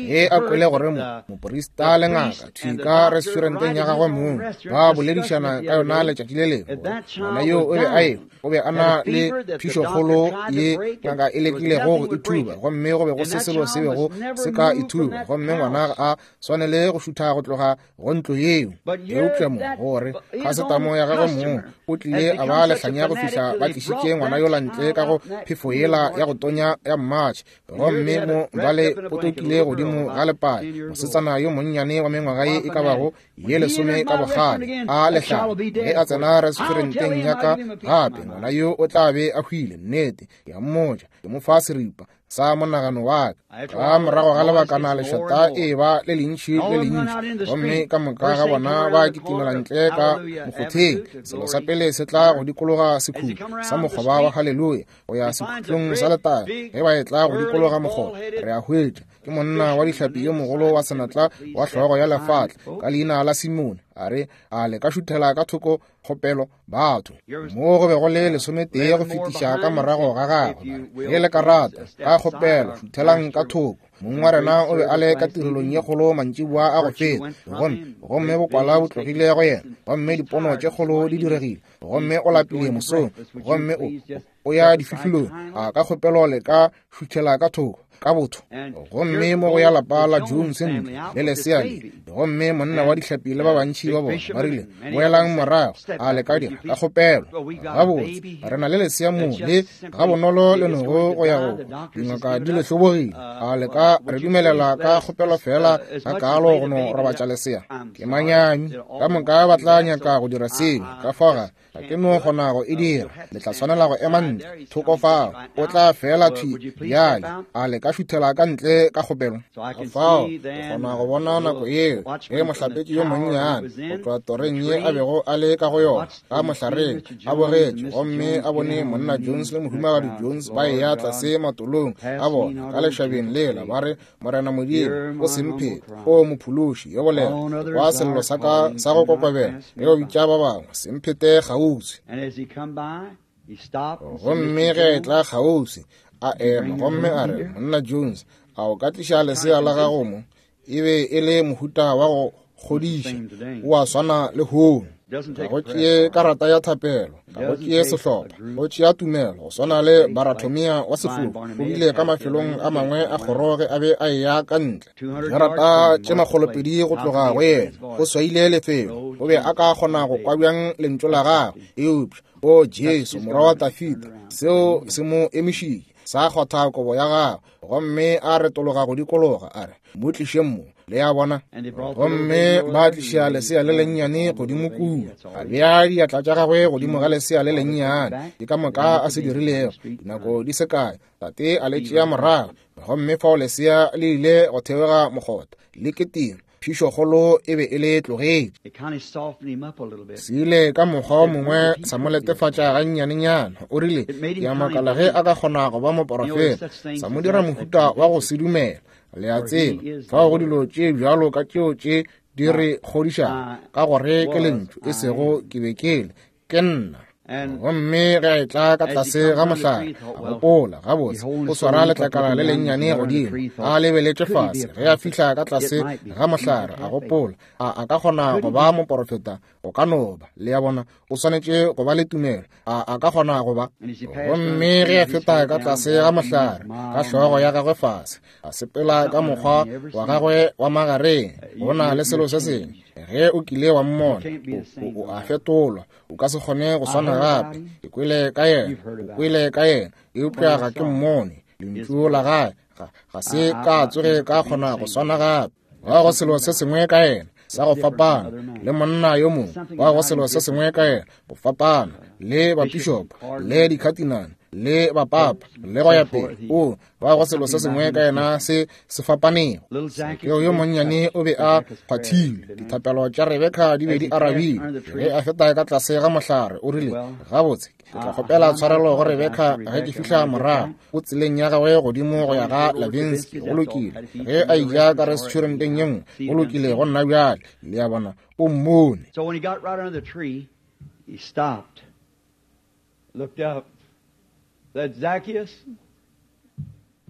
Ge a kwele gore moporista le ngaka thwi ka restauranteng ya gagwe mong ba boledišana ka yona letšatši le lengwe, ngwana yo o be a ewa, o be a na le phišokgolo ye ngaka e lekilego go ithuba, gomme go be go se selo se bego se ka ithuba, gomme ngwana ga a swanele go šutha go tloga go ntlo yeo. Eupša mo gore kgasetamo ya gagwe mong o tlile a ba lehlanya go fihla ba tlišitše ngwana yola ntle ka go phefo yela ya go tonya ya Mmatšhe, gomme mo ba le potokile godimo ga lepae, mosetsana yo monnyane wa mengwaga ye e ka bago ye lesome ka bogale a lehlana. Ge a tsena restauranteng ya ka gape, ngwana yo o tla be a hwile. Nnete, ke a mmotša, ke mo fa seripa sa monagano wa ka. Ka morago ga lebakana lešata e ba le lentši le lentši, gomme ka moka ga bona ba kitimela ntle ka mokgotheng. Selo sa pele se tla go dikologa sekhutlo sa mokgoba wa Haleluya go ya sekhutlong sa letala. Ge ba etla go dikologa mokgoba, re a hwetša ke monna wa dihlapi yo mogolo wa senatla wa hlogo ya lefatla ka leina la Simone. A re, a le ka šuthela ka thoko kgopelo batho mo go be go le 11 go fetiša ka morago ga gagwe. Ge le ka rata ka kgopelo šuthelang ka thoko. Mong wa rena o be a le ka tirelong ye kgolo mantšiboa a go feta, gomme bokwala bo tlogile go yena, gomme dipono tše kgolo di diregile, gomme o lapile mosong, gomme o ya difihlolong. A ka kgopelo le ka šuthela ka thoko ka botho. Gomme mo go ya lapa la Jones ntle le lesea le, gomme monna wa dihlapi le ba bantši ba bona ba rile, boelang morago, a le ka dira ka kgopelo. Gabotse, re na le lesea mo le ga bonolo le nogo go ya go dingaka di le hlobogile. A le ka re dumelela ka kgopelo fela ga kaalo go no robatša lesea? Ke manyami, ka moka ba tla nyaka go dira seo. Ka fao ga ke no kgona go e dira, le tla swanela go ema ntle thoko fao. O tla fela thwi bjale. A le ka ka šuthela ka ntle ka kgopelo? Fao ke kgona go bona nako yeo ge mohlapetši yo monnyane go tšwa toreng ye a bego a le ka go yona, ka mohlareng, a bogetše, gomme a bone Monna Jones le Mohumagadi Jones ba eya tlase matolong a bona ka lešabeng lela, ba re, Morena Modimo, o se mphete, o Mophološi yo boleta, kwa sello sa ka sa go kokobela ge o bitša ba bangwe, se mphete kgauswi. Gomme ge a etla kgauswi, a ema gomme a re, Monna Jones, a o ka tliša lesea la gago mo? E be e le mohuta wa go kgodiša, o a swana le hono. Ga go tšee karata ya thapelo, ga go tšee sehlopha, go tšea tumelo, go swana le Baratomea wa sefofu o bile ka mafelong a mangwe a kgoro ge a be a eya ka ntle. Dijarata tše 200 go tloga go yena, o swaile lefelo. O be a ka kgona go kwa bjang lentšu la gagwe? Eupša, o Jesu, Morwa wa Dafida, seo se mo emišitše, sa kgotha kobo ya gagwe, gomme a retologa go dikologa, a re, Mo tlišeng mo. Le a bona? Gomme ba tliša lesea le lennyane godimo kua, a bea diatla tša gagwe godimo ga lesea le lennyane. Ke ka moka a se dirilego. Dinako di se kae, tate a le tšea morago, gomme fao lesea le ile go theoga mokgotha, le ketima. Phišokgolo e be e le tlogetše. Se ile ka mokgwa o mongwe sa mo letefatša gannyanenyana. O rile, Ke a makala ge a ka kgona go ba moporofeta. Sa mo dira mohuta wa go se dumela. Le a tseba, fao go dilo tše bjalo ka tšeo tše di re kgodišago, ka gore ke lentšu, e sego ke be ke le, ke nna. Gomme ge a etla ka tlase ga mohlare, a gopola, gabotse, o swara letlakala le lennyane godimo, a lebeletše fase. Ge a fihla ka tlase ga mohlare, a gopola, a ka kgona go ba moporofeta? O ka no ba. Le a bona, o swanetše go ba le tumelo. A ka kgona go ba? Gomme ge a feta ka tlase ga mohlare, ka hlogo ya gagwe fase, a sepela ka mokgwa wa gagwe wa magareng, go na le selo se sengwe. Ge o kile wa mmona, o a fetolwa. O ka se kgone go swana gape. Ke kwele ka yena, o kwele ka yena, eupša ga ke mmone. Lentšu la gagwe ga se ka tsoge ka kgona go swana gape. Ga go selo se sengwe ka yena sa go fapana le monna yo mongwe, ga go selo se sengwe ka yena go fapana le bapišopo le dikhatinane le bapapa le go ya pele. O ba go selo se sengwe ka yena se se fapanego. Sakeo yo monnyane o be a kgwathile. Dithapelo tša Rebeka di be di arabile. Ge a feta ka tlase ga mohlare, o rile, Gabotse, ke tla kgopela tshwarelo go Rebeka ge ke fihla morago. O tseleng ya gagwe godimo go ya ga Lavinsky. Go lokile. Ge a eja ka restauranteng ye nngwe, go lokile go nna bjale. Le a bona, o mmone. So when he got right under the tree, he stopped, looked up, said, Zacchaeus.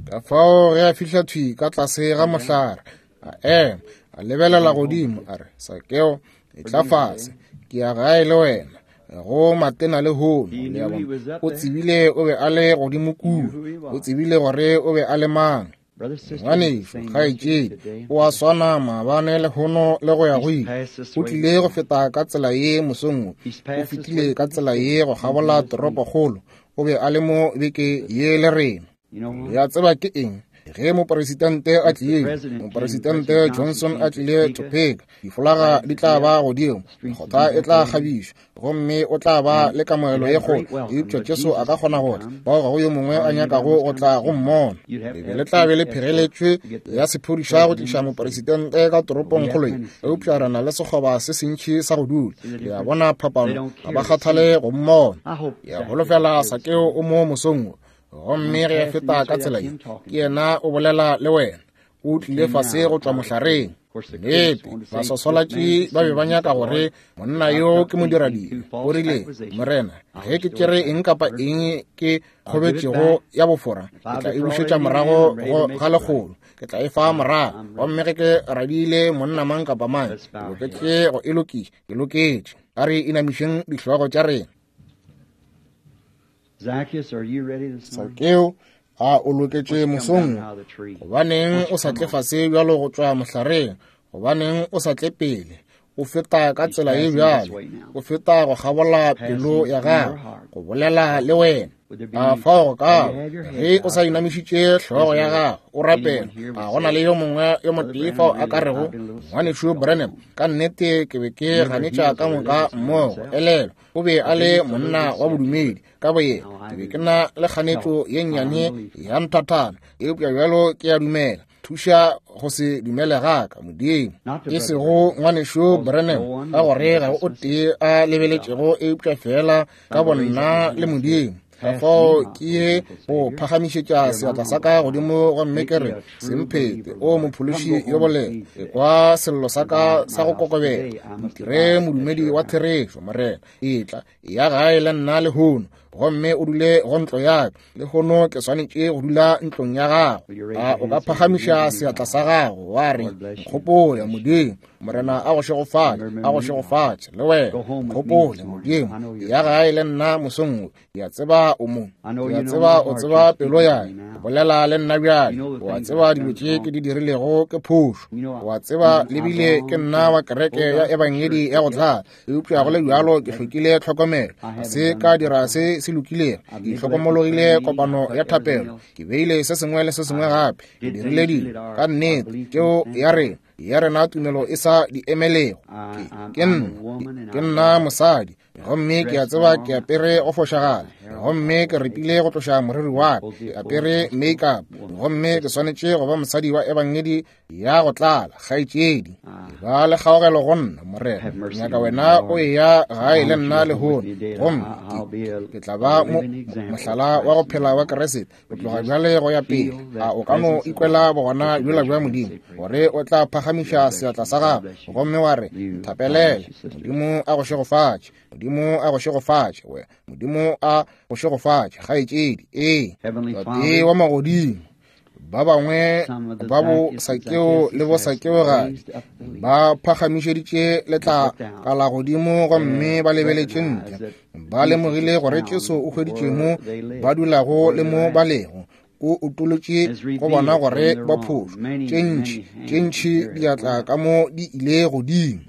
Ka fao ge a fihla thwi ka tlase ga mohlare, a ema, a lebelela godimo, a re, Sakeo, etla fase, ke ya gae le wena go matena le hono. Le a bona, o tsebile o be a le godimo kua, o tsebile gore o be a le mang. Ngwanešu, kgaetšedi, o a swana maabane le hono le go ya go ile. O tlile go feta ka tsela ye mosong wo, o fetile ka tsela ye go kgabola toropokgolo, o be a le mo beke ye le rena. Le a tseba ke eng? Ge moporesitente a tlile, Moporesitente Johnson a tlile Topeka, difolaga di tla ba godimo, mekgotha e tla kgabišwa, gomme o tla ba le kamogelo ye kgolo. Eupša Jesu a ka kgona go tla, bao ga go yo mongwe a nyakago go tla go mmona. Le be le tla be le phegeletšwe ya sephodiša go tliša moporesitente ka toropongkgolo ye, eupša re na le sekgoba se sentši sa go dula. Le a bona phapano? Ga ba kgathale go mmona. Ke a holofela Sakeo o mo mosong wo. Gomme ge a feta ka tsela ye, ke yena o bolela le wena. O tlile fase go tšwa mohlareng. Nnete, baswaswalatši ba be ba nyaka gore monna yo ke modiradibe. O rile, Morena, ge ke tšere eng kapa eng ke kgobetšego ya bofora, ke tla e bušetša morago ga lekgolo, ke tla e fa morago. Gomme ge ke radile monna mang kapa mang, ke loketše go e lokiša, ke loketše. A re inamišeng dihlogo tša rena. Zacchaeus, are you ready this morning? Sakeo, a o loketše mosong wo? Gobaneng o sa tle fase bjalo go tšwa mohlareng? Gobaneng o sa tle pele? O feta ka tsela ye bjalo, o feta go kgabola pelo ya gago, go bolela le wena. A fao ka ge o sa inamišitše hlogo ya gago o rapela, a go na le yo mongwe yo motee fao a ka rego, Ngwanešu Branham, ka nnete ke be ke ganetša ka moka mmogo. Elelwa, o be a le monna wa bodumedi ka boyena. Ke be ke na le kganetšo ye nnyane ya nthathana, eupša bjalo ke a dumela. Thuša go se dumele ga ka, Modimo. E sego Ngwanešu Branham, ka gore ga o tee a lebeletšego eupša fela ka bonna le Modimo. Ka fao ke ye go phagamišetša seatla sa ka godimo gomme ke re, Semphete, o mophološi yo boleta, ekwa sello sa ka sa go kokobela, ntire modumedi wa therešo, Morena. Etla, ya gae le nna lehono, gomme o dule go ntlo ya ka. Lehono ke swanetše go dula ntlong ya gago. A o ka phagamiša seatla sa gago wa re, Nkgopole, Modimo. Morena a go šegofatše, a go šegofatše le wena. Nkgopole, Modimo. Ya gae le nna mosong wo. Ke a tseba o mo. Ke a tseba o tseba pelo ya ka. Bolela le nna bjale. O a tseba dilo tše ke di dirilego ke phošo. O a tseba le bile ke nna wa kereke ya ebangedi ya go tlala, eupša go le bjalo ke hlokile tlhokomelo. Ga se ka dira se se lokilego. Ke hlokomologile kopano ya thapelo. Ke beile se sengwe le se sengwe gape. Ke dirile dilo ka nnete tšeo ya rena ya rena tumelo e sa di emelego. Ke nna mosadi, gomme ke a tseba ke apere go fošagala, gomme ke repile go tloša moriri wa ka, ke apere makeup, gomme ke swanetše go ba mosadi wa ebangedi ya go tlala. Kgaetšedi, ba le kgaogelo go nna, Morena. Nyaka wena o eya gae le nna lehono, gomme ke tla ba mohlala wa go phela wa Keresete go tloga bjale go ya pele. A o ka no ikwela bogona bjola bja Modimo, gore o tla phagamiša seatla sa gago gomme wa re, Nthapelele. Modimo a go šegofatše. Modimo a go šegofatše. Modimo a go šegofatše, kgaetšedi. Ee, Tate wa magodimo, ba bangwe ba bo Sakeo le bo Sakeogadi ba phagamišeditše letlakala godimo gomme ba lebeletše ntle. Ba lemogile gore Jesu o hweditše mo ba dulago le mo ba lego. O utolotše go bona gore ba phošo. Tše ntši, tše ntši diatla ka mo di ile godimo.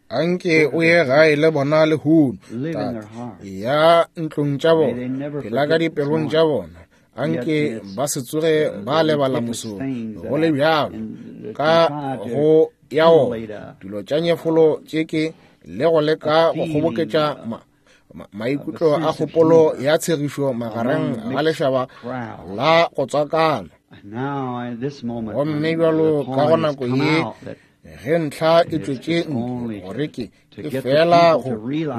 Anke o ye gae le bona lehono, Tate. Ya ntlong tša bona, phela ka dipelong tša bona. Anke ba se tsoge ba lebala mosong go le bjalo ka go ya ona dilo tša nyefolo tše ke le go leka go kgoboketša maikutlo a kgopolo ya tshegišo magareng ga lešaba la go tswakana. Gomme bjalo ka go nako ye ge ntlha e tšwetše ntle gore ke fela go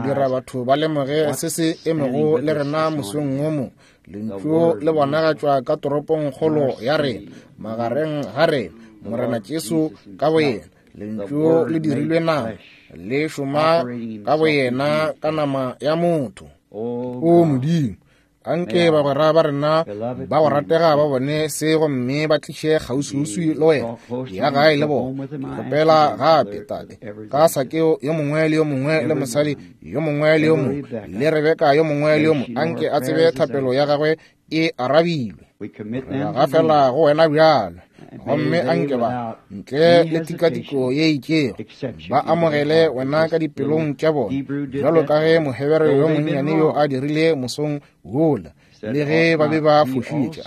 dira batho ba lemoge se se emego le rena mosong wo mo, lentšu le bonagatšwa ka toropong kgolo ya rena, magareng ga rena, Morena Jesu ka boyena. Lentšu le dirilwe nama, le šoma ka boyena ka nama ya motho. O Modimo, anke bagwera ba rena ba go ratega ba bone se gomme ba tliše kgauswiuswi le wena ya gae le bona. Ke kgopela gape, Tate, ka Sakeo yo mongwe le yo mongwe le mosadi yo mongwe le yo mongwe le Rebeka yo mongwe le yo mongwe, anke a tsebe thapelo ya gagwe e arabilwe. Re ba gafela go wena bjalo, gomme anke ba ntle le tikatiko ye itšego ba amogele wena ka dipelong tša bona, bjalo ka ge Mohebere yo monnyane yo a dirile mosong wola, le ge ba be ba fošitše,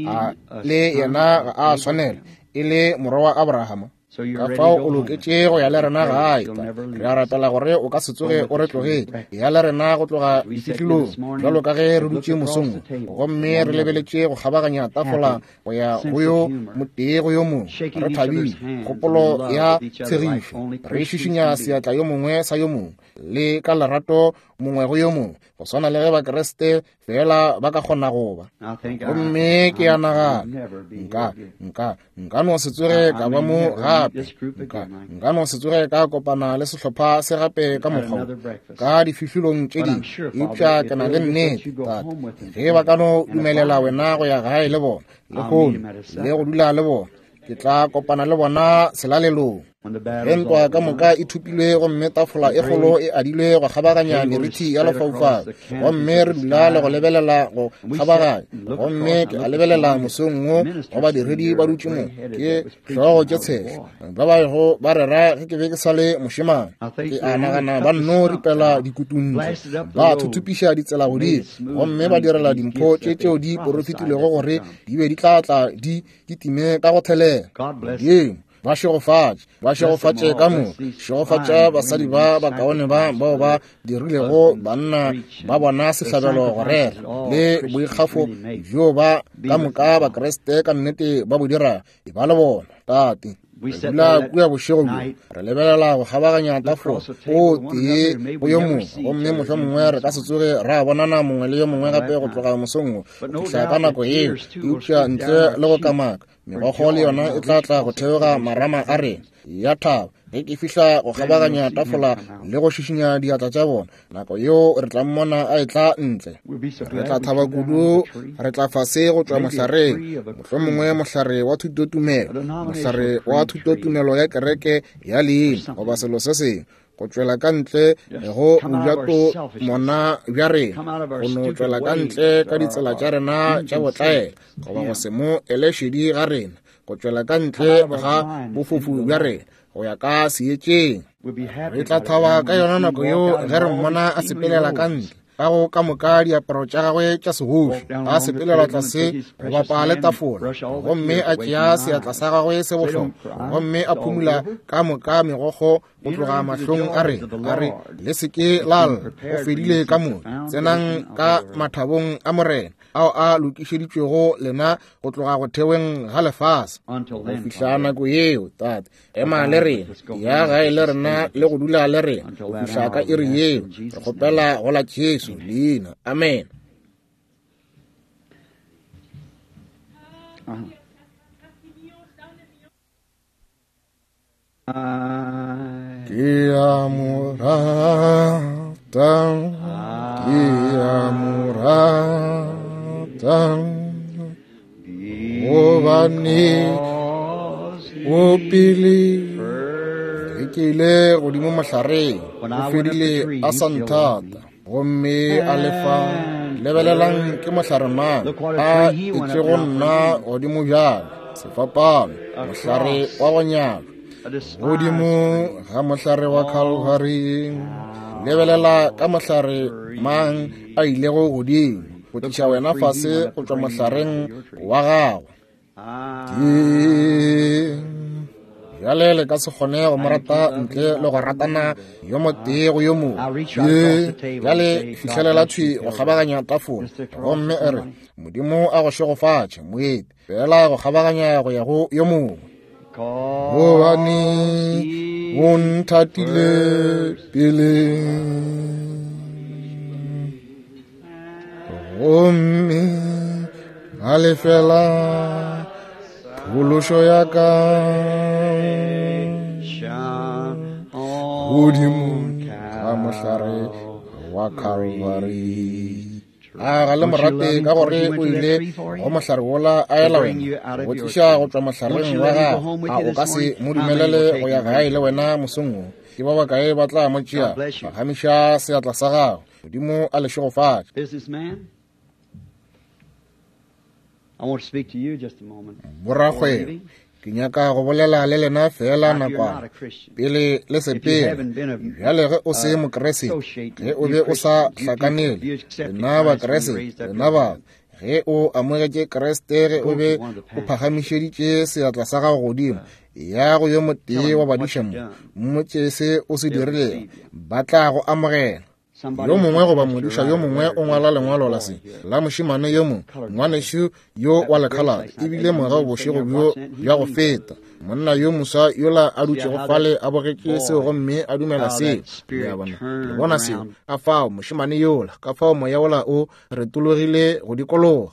a le yena ga a swanela e le morwa wa Abrahama. Ka fao o loketše go ya le rena gae. Re a rapela gore o ka se tsoge o re tlogetše. Ya le rena go tloga difihlolong, bjalo ka ge re dutše mosong gomme re lebeletše go kgabaganya tafola go ya go yo motee go yo mongwe, re thabile, kgopolo ya tshegišo, re šišinya seatla yo mongwe sa yo mongwe, le ka lerato mongwe go yo mongwe, go swana le ge Bakriste fela ba ka kgona go ba. Gomme ke a nagana, nka no se tsoge ka ba mo gape, nka no se tsoge ka kopana le sehlopha se gape ka mokgwa ka difihlolong tše dingwe, eupša ke na le nnete, Tate, ge ba ka no dumelela wena go ya gae le bona lehono le go dula le bona, ke tla kopana le bona selalelong. Ge ntwa ka moka e thupilwe gomme tafola e kgolo e adilwe go kgabaganya merithi ya lefaufau, gomme re dula le go lebelela go kgabaganya, gomme ke a lebelela mosong wo go badiredi ba dutše mo, ke hlogo tše tshehla ba ba bego ba rera ge ke be ke sa le mošemane. Ke a nagana ba nno ripela dikutuntlo, ba thuthupiša ditsela godimo, gomme ba direla dimpho tše tšeo di porofetilwego gore di be di tla tla di kitime ka go thelela. Modimo ba šegofatše, ba šegofatše ka moka, šegofatša basadi ba bakaone ba bao ba dirilego banna ba bona sehlabelo go rera, le boikgafo bjo ba ka moka Bakriste ka nnete ba bo dira. E ba le bona, Tate. Re dula kua bošego bjo, re lebelela go kgabaganya tafola o tee go yo mongwe, gomme mohlomongwe re ka se tsoge ra bonana mongwe le yo mongwe gape go tloga mosong wo go fihla ka nako yeo. Eupša ntle le go kamaka, megokgo le yona e tla tla go theoga marama a rena ya thabo ge ke fihla go kgabaganya tafola le go šišinya diatla tša bona. Nako yeo re tla mmona a etla ntle, re tla thaba kudu. Re tla fase go tšwa mohlareng, mohlomongwe mohlare wa thutotumelo, mohlare wa thutotumelo ya kereke ya leina goba selo se sengwe, go tšwela ka ntle go bojato mona bja rena, go no tšwela ka ntle ka ditsela tša rena tša botlaela goba go se mo ele šedi ga rena, go tšwela ka ntle ga bofofu bja rena go ya ka seetšeng. Re tla thaba ka yona nako yeo ge re mmona a sepelela ka ntle ka go ka moka diaparo tša gagwe tša segoši, a sepelela tlase go bapa le tafola, gomme a tšea seatla sa gagwe se bohlokwa gomme a phumula ka moka megokgo go tloga mahlong a rena, a re, Le se ke la lla, go fedile ka moka. Tsenang ka mathabong a Morena ao a lokišeditšwego lena go tloga go theweng ga lefase. Go fihla nako yeo, Tate, ema le rena, ya gae le rena le go dula le rena go fihla ka iri yeo. Re kgopela go la Jesu leina. Amen. Ke a mo rata, ke a mo rata, gobane o pele ge ke ile godimo mohlareng, o fedile a sa nthata, gomme a lefa. Lebelelang ke mohlare mang a etšego nna godimo bjalo, sefapano, mohlare wa go nyalwa, godimo ga mohlare wa Calvary. Lebelela ka mohlare mang a ilego godimo go tliša wena fase go tšwa mohlareng wa gago. Ke bjale le ka se kgone go mo rata ntle le go ratana yo motee go yo mongwe. Ke bjale fihlelela thwi go kgabaganya tafola gomme e re, Modimo a go šegofatše, moeti, fela go kgabaganya go ya go yo mongwe. Gobane o nthatile pele, gomme a lefela phološo ya ka godimo ga mohlare wa Calvary. A ga le morate ka gore o ile go mohlare wola a ela wena go tliša go tšwa mohlareng wa gago? A o ka se mo dumelele go ya gae le wena mosong wo? Ke ba bakae ba tla mo tšea? Phagamiša seatla sa gago. Modimo a le šegofatše. Borakgwebo, ke nyaka go bolela le lena fela nakwana pele le sepela. Bjale ge o se Mokriste, ge o be o sa hlakanele lena Bakriste, lena batho, ge o amogetše Kriste, ge o be o phagamišeditše seatla sa gago godimo ya go yo motee wa badiša mo, mmotše se o se dirilego, ba tla go amogela. Yo mongwe goba modiša yo mongwe o ngwala lengwalo la se la mošemane yo mongwe, ngwanešu yo wa lekhalate, ebile morago bošego bjo bja go feta, monna yo moswa yola a dutšego fale a bogetše seo gomme a dumela seo. Le a bona? Le bona seo? Ka fao mošemane yola, ka fao moya wola o retologile go dikologa.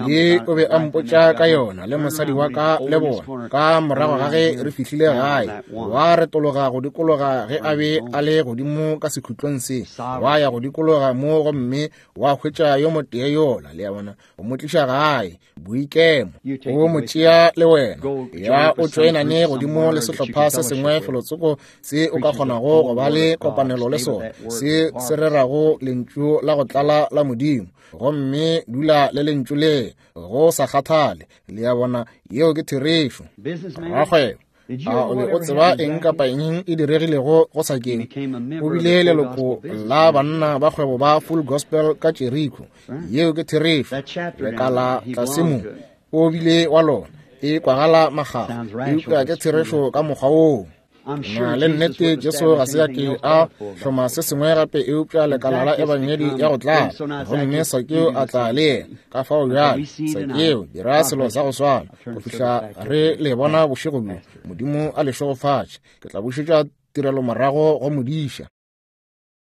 Bile o be a mpotša ka yona le mosadi wa ka le bona, ka morago ga ge re fihlile gae, wa retologa go dikologa ge a be a le godimo ka sekhutlong se, wa Wa ya go dikologa mo gomme wa hwetša yo motee yola, le a bona, o mo tliša gae, boikemo, o mo tšea le wena. Ya o tšoenane godimo le sehlopha se sengwe felotsoko se o ka kgonago go ba le kopanelo le sona, se se rerago Lentšu la go tlala la Modimo, gomme dula le Lentšu le, go sa kgathale. Le a bona, yeo ke therešo. Rakgwebo, a o be o tseba eng kapa eng e diregilego go Sakeo? O bile leloko la banna ba kgwebo ba Full Gospel ka Jeriko. Yeo ke therešo. Lekala tlase mo, o bile wa lona. E kwagala makgakga, eupša ke therešo ka mokgwa woo. Na le nnete Jesu ga se a ke a hloma se sengwe gape eupša lekala la ebangedi ya go tlala, gomme Sakeo a tla le yena. Ka fao bjale, Sakeo, dira selo sa go swana go fihla re le bona bošego bjo. Modimo a le šegofatše. Ke tla bušetša tirelo morago go modiša.